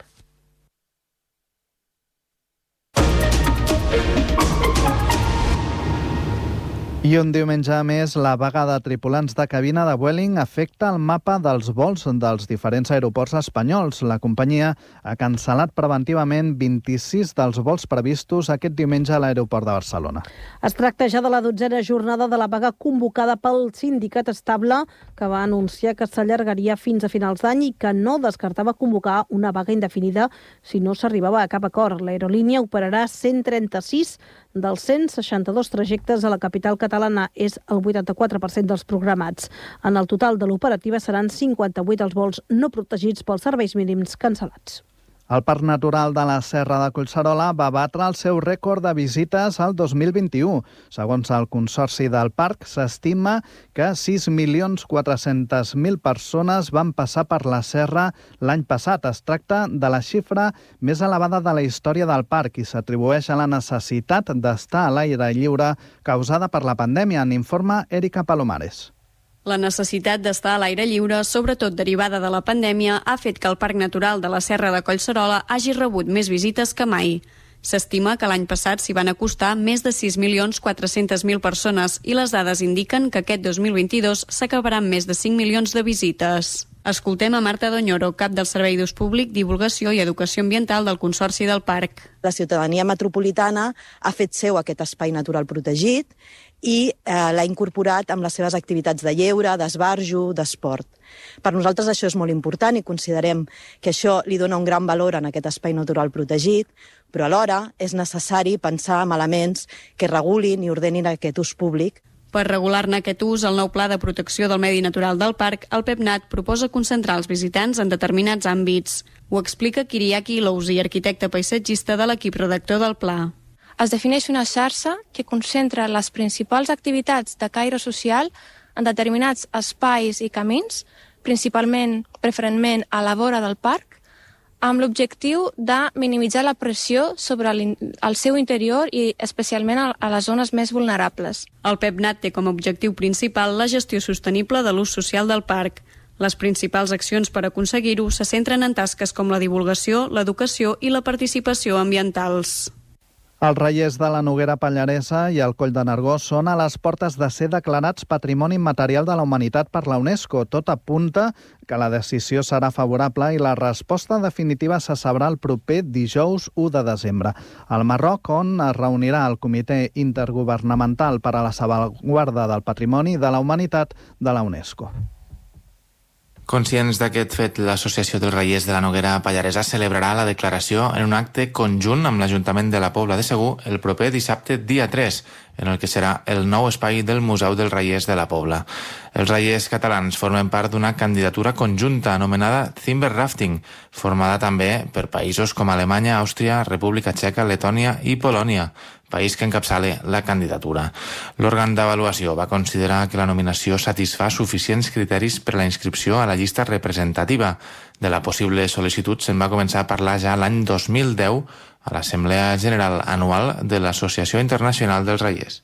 I un diumenge més, la vaga de tripulants de cabina de Vueling afecta el mapa dels vols dels diferents aeroports espanyols. La companyia ha cancel·lat preventivament vint-i-sis dels vols previstos aquest diumenge a l'aeroport de Barcelona. Es tracta ja de la dotzena jornada de la vaga convocada pel sindicat estable, que va anunciar que s'allargaria fins a finals d'any i que no descartava convocar una vaga indefinida si no s'arribava a cap acord. L'aerolínia operarà cent trenta-sis dels cent seixanta-dos trajectes a la capital catalana, és el vuitanta-quatre per cent dels programats. En el total de l'operativa seran cinquanta-vuit els vols no protegits pels serveis mínims cancel·lats. El Parc Natural de la Serra de Collserola va batre el seu rècord de visites al dos mil vint-i-u. Segons el Consorci del Parc, s'estima que sis milions quatre-cents mil persones van passar per la serra l'any passat. Es tracta de la xifra més elevada de la història del parc i s'atribueix a la necessitat d'estar a l'aire lliure causada per la pandèmia, en informa Erika Palomares. La necessitat d'estar a l'aire lliure, sobretot derivada de la pandèmia, ha fet que el Parc Natural de la Serra de Collserola hagi rebut més visites que mai. S'estima que l'any passat s'hi van acostar més de sis milions quatre-cents mil persones i les dades indiquen que aquest dos mil vint-i-dos s'acabarà amb més de cinc milions de visites. Escoltem a Marta Doñoro, cap del Servei d'Ús Públic, Divulgació i Educació Ambiental del Consorci del Parc. La ciutadania metropolitana ha fet seu aquest espai natural protegit i eh, l'ha incorporat amb les seves activitats de lleure, d'esbarjo, d'esport. Per nosaltres això és molt important i considerem que això li dona un gran valor en aquest espai natural protegit, però alhora és necessari pensar en elements que regulin i ordenin aquest ús públic. Per regular-ne aquest ús, el nou Pla de Protecció del Medi Natural del Parc, el PEPNAT, proposa concentrar els visitants en determinats àmbits. Ho explica Kiriaki Lousi, arquitecte paisatgista de l'equip redactor del pla. Es defineix una xarxa que concentra les principals activitats de caire social en determinats espais i camins, principalment, preferentment, a la vora del parc, amb l'objectiu de minimitzar la pressió sobre el seu interior i especialment a les zones més vulnerables. El PEPNAT té com a objectiu principal la gestió sostenible de l'ús social del parc. Les principals accions per aconseguir-ho se centren en tasques com la divulgació, l'educació i la participació ambientals. Els reiers de la Noguera Pallaresa i el Coll de Nargó són a les portes de ser declarats Patrimoni Immaterial de la Humanitat per la UNESCO. Tot apunta que la decisió serà favorable i la resposta definitiva se sabrà el proper dijous u de desembre. Al Marroc, on es reunirà el Comitè Intergovernamental per a la Salvaguarda del Patrimoni de la Humanitat de la UNESCO. Conscients d'aquest fet, l'Associació dels Reiers de la Noguera Pallaresa celebrarà la declaració en un acte conjunt amb l'Ajuntament de la Pobla de Segur el proper dissabte dia tres, en el que serà el nou espai del Museu dels Reiers de la Pobla. Els reiers catalans formen part d'una candidatura conjunta anomenada Timber Rafting, formada també per països com Alemanya, Àustria, República Txeca, Letònia i Polònia, país que encapçala la candidatura. L'òrgan d'avaluació va considerar que la nominació satisfà suficients criteris per a la inscripció a la llista representativa. De la possible sol·licitud se'n va començar a parlar ja l'any dos mil deu a l'Assemblea General Anual de l'Associació Internacional dels Reiers.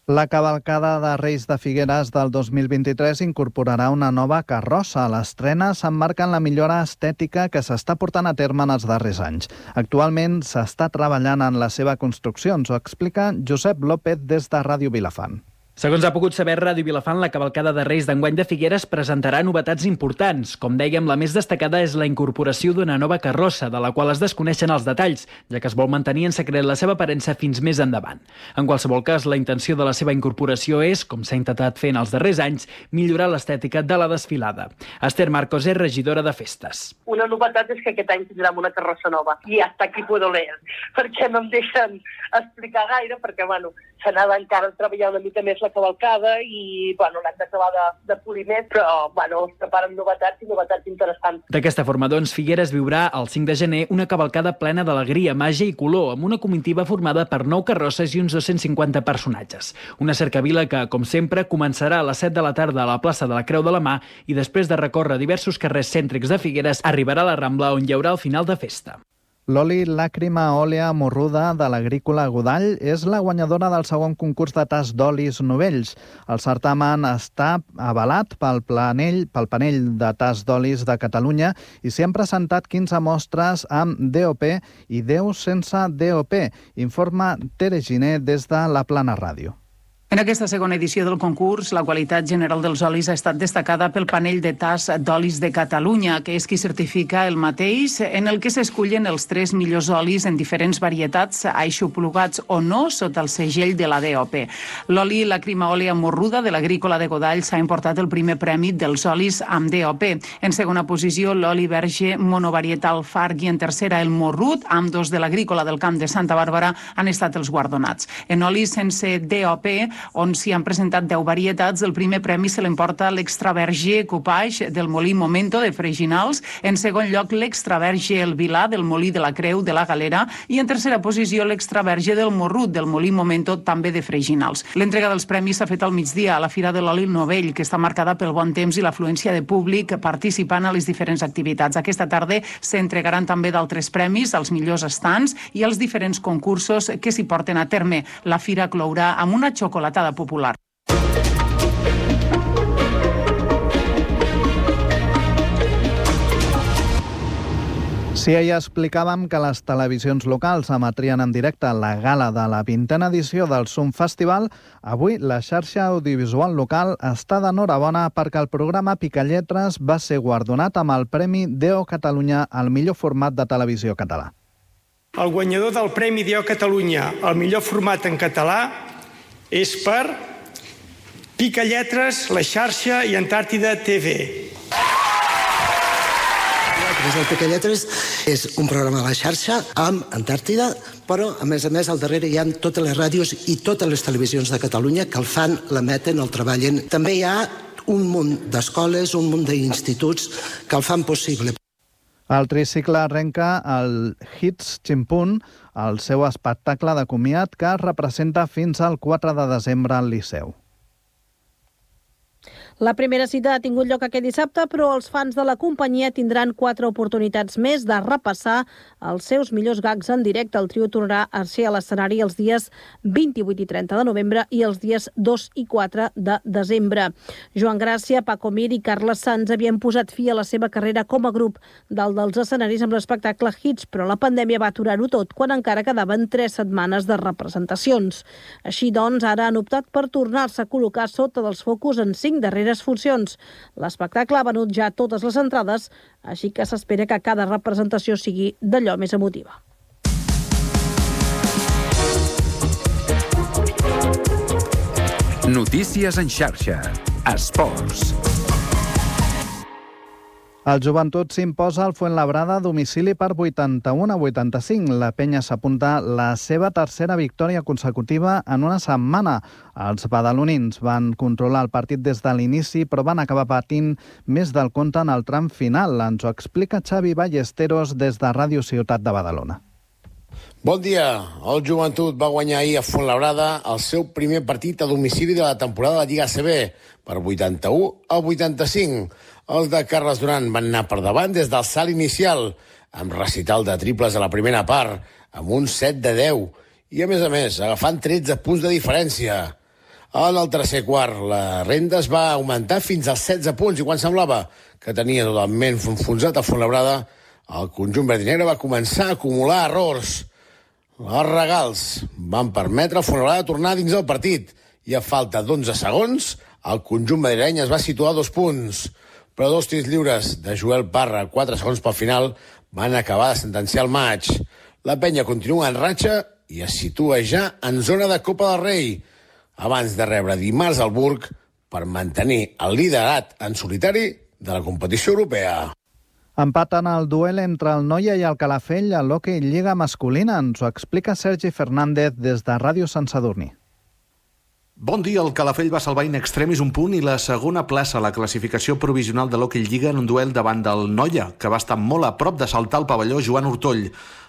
La cavalcada de Reis de Figueres del dos mil vint-i-tres incorporarà una nova carrossa. L'estrena s'emmarca en la millora estètica que s'està portant a terme en els darrers anys. Actualment s'està treballant en la seva construcció, ens ho explica Josep López des de Ràdio Vilafant. Segons ha pogut saber Ràdio Vilafant, la cavalcada de Reis d'enguany de Figueres presentarà novetats importants. Com dèiem, la més destacada és la incorporació d'una nova carrossa, de la qual es desconeixen els detalls, ja que es vol mantenir en secret la seva aparença fins més endavant. En qualsevol cas, la intenció de la seva incorporació és, com s'ha intentat fer en els darrers anys, millorar l'estètica de la desfilada. Esther Marcos és regidora de festes. Una novetat és que aquest any tindrem una carrossa nova, i hasta aquí puedo leer, perquè no em deixen explicar gaire, perquè, bueno, s'anava encara a treballar una mica més la cavalcada i, bueno, l'hem d'acabar de, de polir més, però, bueno, es preparen novetats i novetats interessants. D'aquesta forma, doncs, Figueres viurà el cinc de gener una cavalcada plena d'alegria, màgia i color, amb una comitiva formada per nou carrosses i uns dos-cents cinquanta personatges. Una cercavila que, com sempre, començarà a les set de la tarda a la plaça de la Creu de la Mà i després de recórrer diversos carrers cèntrics de Figueres, arribarà a la Rambla, on hi haurà el final de festa. L'oli Làcrima Òlea Morruda de l'Agrícola Godall és la guanyadora del segon concurs de tas d'olis novells. El certamen està avalat pel planell, pel panell de tas d'olis de Catalunya i s'hi han presentat quinze mostres amb D O P i deu sense D O P, informa Tere Giner des de la Plana Ràdio. En aquesta segona edició del concurs, la qualitat general dels olis ha estat destacada pel panell de tas d'olis de Catalunya, que és qui certifica el mateix, en el que s'escullen els tres millors olis en diferents varietats, aixoplugats o no, sota el segell de la D O P. L'oli Làcrima Òlea Morruda de l'Agrícola de Godall s'ha importat el primer premi dels olis amb D O P. En segona posició, l'oli verge monovarietal Farg i en tercera el Morrut, amb dos de l'Agrícola del Camp de Santa Bàrbara, han estat els guardonats. En olis sense D O P, on s'hi han presentat deu varietats, el primer premi se l'emporta l'Extra Verge Coupage del Molí Momento de Freginals, en segon lloc l'Extra Verge El Vilà del Molí de la Creu de la Galera i en tercera posició l'Extra Verge del Morrut del Molí Momento també de Freginals. L'entrega dels premis s'ha fet al migdia a la Fira de l'Oli Novell, que està marcada pel bon temps i l'afluència de públic participant a les diferents activitats. Aquesta tarda s'entregaran també d'altres premis als millors estants i als diferents concursos que s'hi porten a terme. La fira clourà amb una xocolatada popular. Si ahir explicàvem que les televisions locals emetrien en directe la gala de la vintena edició del Zoom Festival, avui la xarxa audiovisual local està d'enhorabona perquè el programa Picalletres va ser guardonat amb el Premi D O Catalunya al millor format de televisió català. El guanyador del Premi D O Catalunya al millor format en català és per Picalletres, La Xarxa i Antàrtida T V. El Picalletres és un programa de La Xarxa amb Antàrtida, però a més a més al darrere hi ha totes les ràdios i totes les televisions de Catalunya que el fan, l'emeten, el treballen. També hi ha un munt d'escoles, un munt d'instituts que el fan possible. El tricicle arrenca el Hits Chimpún, el seu espectacle de comiat que es representa fins al quatre de desembre al Liceu. La primera cita ha tingut lloc aquest dissabte, però els fans de la companyia tindran quatre oportunitats més de repassar els seus millors gags en directe. El trio tornarà a ser a l'escenari els dies vint-i-vuit i trenta de novembre i els dies dos i quatre de desembre. Joan Gràcia, Paco Mir i Carles Sanz havien posat fi a la seva carrera com a grup dalt dels escenaris amb l'espectacle Hits, però la pandèmia va aturar-ho tot quan encara quedaven tres setmanes de representacions. Així doncs, ara han optat per tornar-se a col·locar sota dels focus en cinc darreres funcions. L'espectacle ha venut ja totes les entrades, així que s'espera que cada representació sigui d'allò més emotiva. Notícies en xarxa. Esports. El Joventut s'imposa al Fuenlabrada a domicili per vuitanta-un a vuitanta-cinc. La penya s'apunta la seva tercera victòria consecutiva en una setmana. Els badalonins van controlar el partit des de l'inici, però van acabar patint més del compte en el tram final. Ens ho explica Xavi Ballesteros des de Ràdio Ciutat de Badalona. Bon dia. El Joventut va guanyar ahir a Fuenlabrada el seu primer partit a domicili de la temporada de la Lliga A C B per vuitanta-u a vuitanta-cinc. Els de Carles Duran van anar per davant des del salt inicial, amb recital de triples a la primera part, amb un set de deu, i a més a més, agafant tretze punts de diferència. En el tercer quart, la renda es va augmentar fins als setze punts, i quan semblava que tenia totalment enfonsat a Fuenlabrada, el conjunt verd i negre va començar a acumular errors. Els regals van permetre a Fuenlabrada tornar dins el partit, i a falta d'onze segons, el conjunt madrileny es va situar a dos punts. Però dos tirs lliures de Joel Parra, quatre segons pel final, van acabar de sentenciar el maig. La penya continua en ratxa i es situa ja en zona de Copa del Rei, abans de rebre dimarts al Burg per mantenir el liderat en solitari de la competició europea. Empaten el duel entre el Noia i el Calafell a l'Hockey Lliga masculina. Ens ho explica Sergi Fernández des de Ràdio Sant Sadurní. Bon dia, el Calafell va salvar in extremis un punt i la segona plaça a la classificació provisional de l'Hockey Lliga en un duel davant del Noia, que va estar molt a prop de saltar el pavelló Joan Hortoll.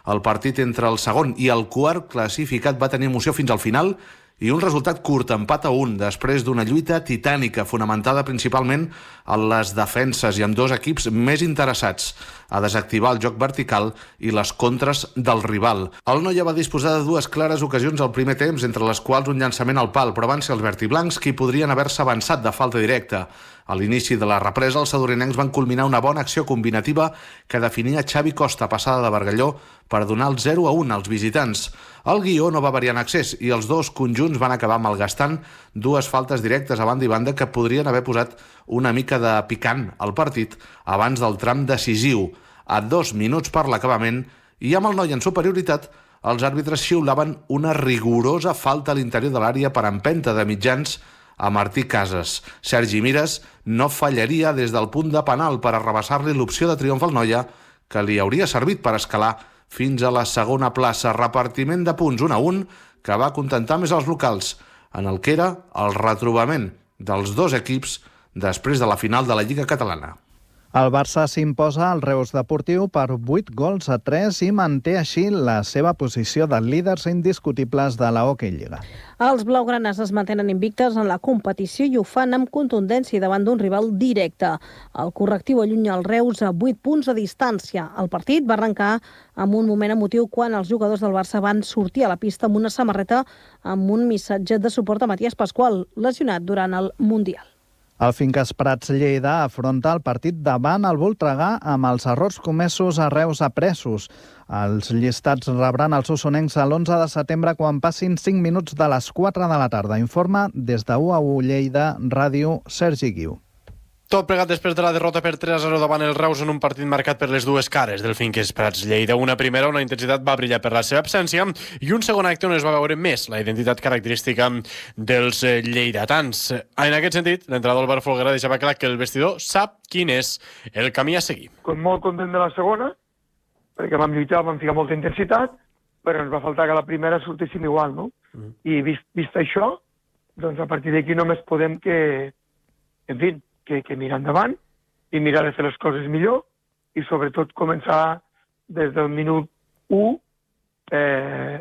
El partit entre el segon i el quart classificat va tenir emoció fins al final i un resultat curt, empat a un, després d'una lluita titànica fonamentada principalment en les defenses i amb dos equips més interessats a desactivar el joc vertical i les contres del rival. El Noia va disposar de dues clares ocasions al primer temps, entre les quals un llançament al pal, però van ser els vertiblancs qui podrien haver-se avançat de falta directa. A l'inici de la represa, els sadorinencs van culminar una bona acció combinativa que definia Xavi Costa, passada de Bargalló, per donar el zero a un als visitants. El guió no va variar en accés i els dos conjunts van acabar malgastant dues faltes directes a banda i banda que podrien haver posat una mica de picant al partit abans del tram decisiu. A dos minuts per l'acabament i amb el Noia en superioritat, els àrbitres xiulaven una rigorosa falta a l'interior de l'àrea per empenta de mitjans a Martí Casas. Sergi Mires no fallaria des del punt de penal per arrabassar-li l'opció de triomf al Noia, que li hauria servit per escalar fins a la segona plaça. Repartiment de punts un a un que va contentar més els locals, en el que era el retrobament dels dos equips després de la final de la Lliga Catalana. El Barça s'imposa al Reus Deportiu per vuit gols a tres i manté així la seva posició de líders indiscutibles de la Hockey Lliga. Els blaugranes es mantenen invictes en la competició i ho fan amb contundència davant d'un rival directe. El correctiu allunya el Reus a vuit punts de distància. El partit va arrencar amb un moment emotiu quan els jugadors del Barça van sortir a la pista amb una samarreta amb un missatge de suport a Matías Pascual, lesionat durant el Mundial. El Finques Prats Lleida afronta el partit davant el Voltregà amb els errors comesos a Reus apresos. Els llistats rebran els osonencs l'onze de setembre quan passin cinc minuts de les quatre de la tarda. Informa des de U A U Lleida, Ràdio, Sergi Guiu. Tot plegat després de la derrota per tres a zero davant el Reus en un partit marcat per les dues cares del Finques Prats Lleida. Una primera, una intensitat va brillar per la seva absència, i un segon acte on es va veure més la identitat característica dels lleidatans. En aquest sentit, l'entrenador Albert Folguera deixava clar que el vestidor sap quin és el camí a seguir. Molt content de la segona, perquè vam lluitar, vam ficar molta intensitat, però ens va faltar que la primera sortíssim igual, no? Mm. I vist, vist això, doncs a partir d'aquí només podem que, en fi, Que, que mirar endavant i mirar de fer les coses millor i sobretot començar des del minut u eh,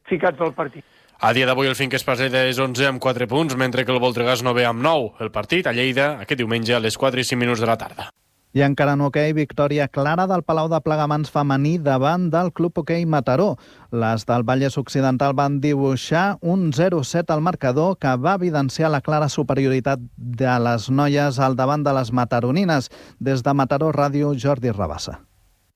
ficats al partit. A dia d'avui el Finques Prats Lleida és onze amb quatre punts, mentre que el Voltregà és novè amb nou. El partit a Lleida aquest diumenge a les quatre i cinc minuts de la tarda. I encara en hoquei, victòria clara del Palau de Plegamans femení davant del Club Hoquei Mataró. Les del Vallès Occidental van dibuixar un zero set al marcador que va evidenciar la clara superioritat de les noies al davant de les mataronines. Des de Mataró Ràdio, Jordi Rabassa.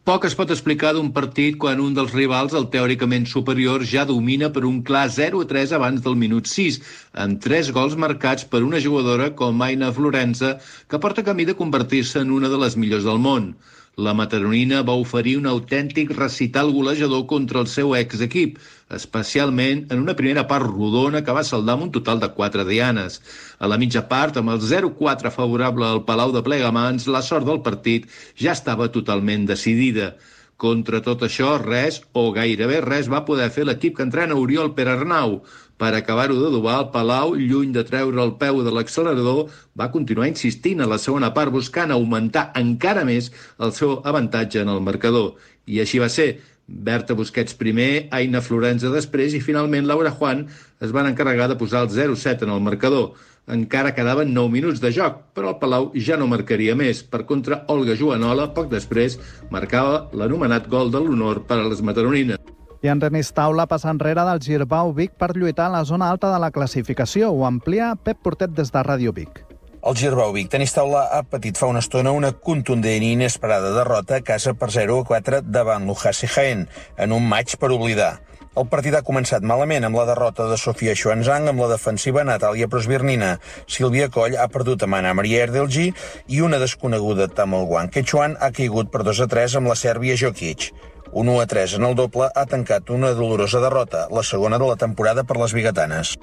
Poc es pot explicar d'un partit quan un dels rivals, el teòricament superior, ja domina per un clar zero a tres abans del minut sis, amb tres gols marcats per una jugadora com Aina Florenza, que porta camí de convertir-se en una de les millors del món. La mataronina va oferir un autèntic recital golejador contra el seu exequip, especialment en una primera part rodona que va saldar amb un total de quatre dianes. A la mitja part, amb el zero quatre favorable al Palau de Plegamans, la sort del partit ja estava totalment decidida. Contra tot això, res, o gairebé res, va poder fer l'equip que entrena Oriol Perarnau. Per acabar-ho d'adobar, el Palau, lluny de treure el peu de l'accelerador, va continuar insistint a la segona part buscant augmentar encara més el seu avantatge en el marcador. I així va ser. Berta Busquets primer, Aina Florenza després i finalment Laura Juan es van encarregar de posar el zero set en el marcador. Encara quedaven nou minuts de joc, però el Palau ja no marcaria més. Per contra, Olga Joanola, poc després, marcava l'anomenat gol de l'honor per a les mataronines. I en tenis taula passa enrere del Girbau Vic per lluitar a la zona alta de la classificació. Ho amplia Pep Portet des de Ràdio Vic. El Girbau Vic Tenis Taula ha patit fa una estona una contundent i inesperada derrota a casa per zero a quatre davant l'Ujasi Jaén, en un maig per oblidar. El partit ha començat malament amb la derrota de Sofia Xuanzang, amb la defensiva Natàlia Prosvirnina. Sílvia Coll ha perdut amb Anna Maria Erdelgi i una desconeguda Tamil Wang Quechuan ha caigut per dos a tres amb la sèrbia Jokic. Un u a tres en el doble ha tancat una dolorosa derrota, la segona de la temporada per les biguetanes.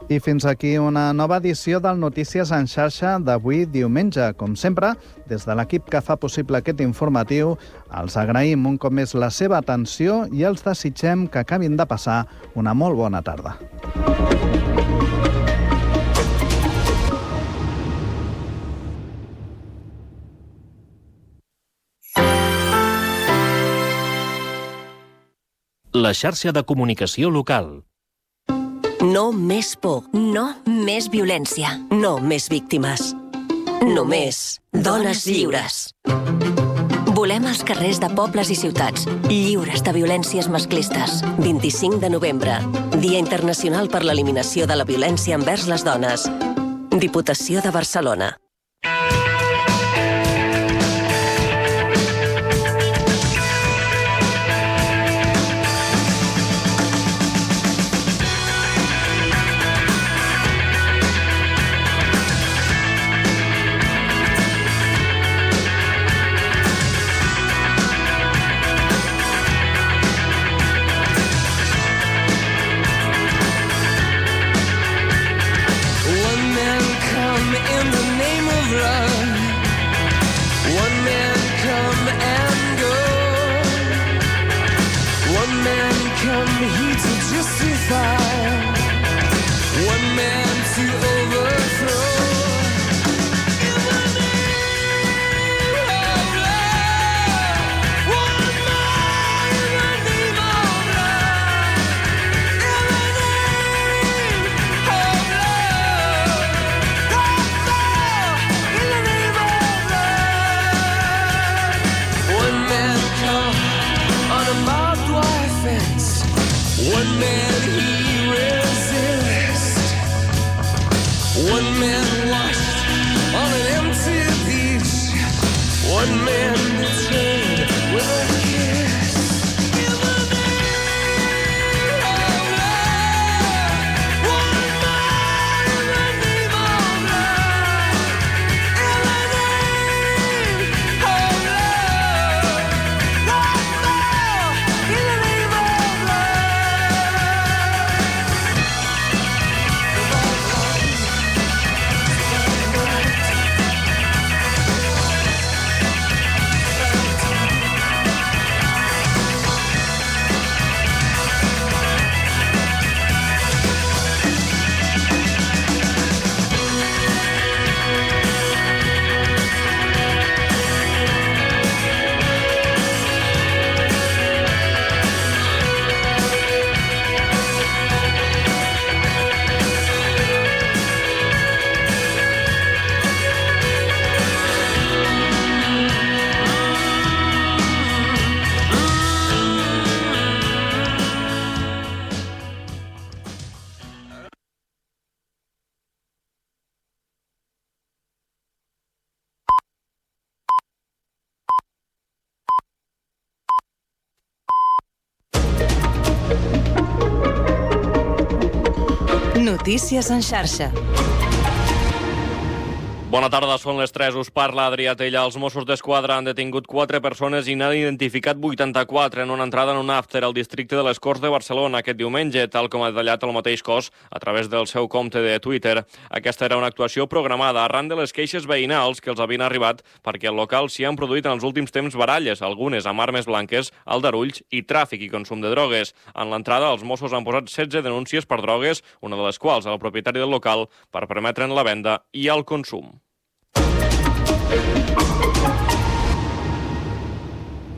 I fins aquí una nova edició del Notícies en xarxa d'avui diumenge. Com sempre, des de l'equip que fa possible aquest informatiu, els agraïm un cop més la seva atenció i els desitgem que acabin de passar una molt bona tarda. La xarxa de comunicació local. No més por, no més violència, no més víctimes. Només dones lliures. Volem els carrers de pobles i ciutats, lliures de violències masclistes. vint-i-cinc de novembre, Dia Internacional per l'Eliminació de la Violència envers les Dones. Diputació de Barcelona. One man he resists. One man Notícies en xarxa. Bona tarda, són les tres. Us parla Adrià Tella. Els Mossos d'Esquadra han detingut quatre persones i n'han identificat vuitanta-quatre en una entrada en un after al districte de les Corts de Barcelona aquest diumenge, tal com ha detallat el mateix cos a través del seu compte de Twitter. Aquesta era una actuació programada arran de les queixes veïnals que els havien arribat perquè al local s'hi han produït en els últims temps baralles, algunes amb armes blanques, aldarulls i tràfic i consum de drogues. En l'entrada, els Mossos han posat setze denúncies per drogues, una de les quals al propietari del local, per permetre'n la venda i el consum.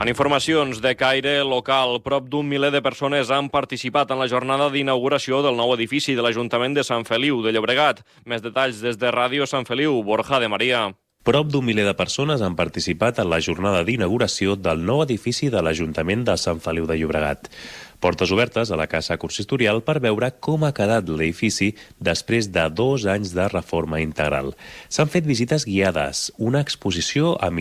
En informacions de caire local, prop d'un miler de persones han participat en la jornada d'inauguració del nou edifici de l'Ajuntament de Sant Feliu de Llobregat. Més detalls des de Ràdio Sant Feliu, Borja de Maria. Prop d'un miler de persones han participat en la jornada d'inauguració del nou edifici de l'Ajuntament de Sant Feliu de Llobregat. Portes obertes a la Casa Consistorial per veure com ha quedat l'edifici després de dos anys de reforma integral. S'han fet visites guiades, una exposició amb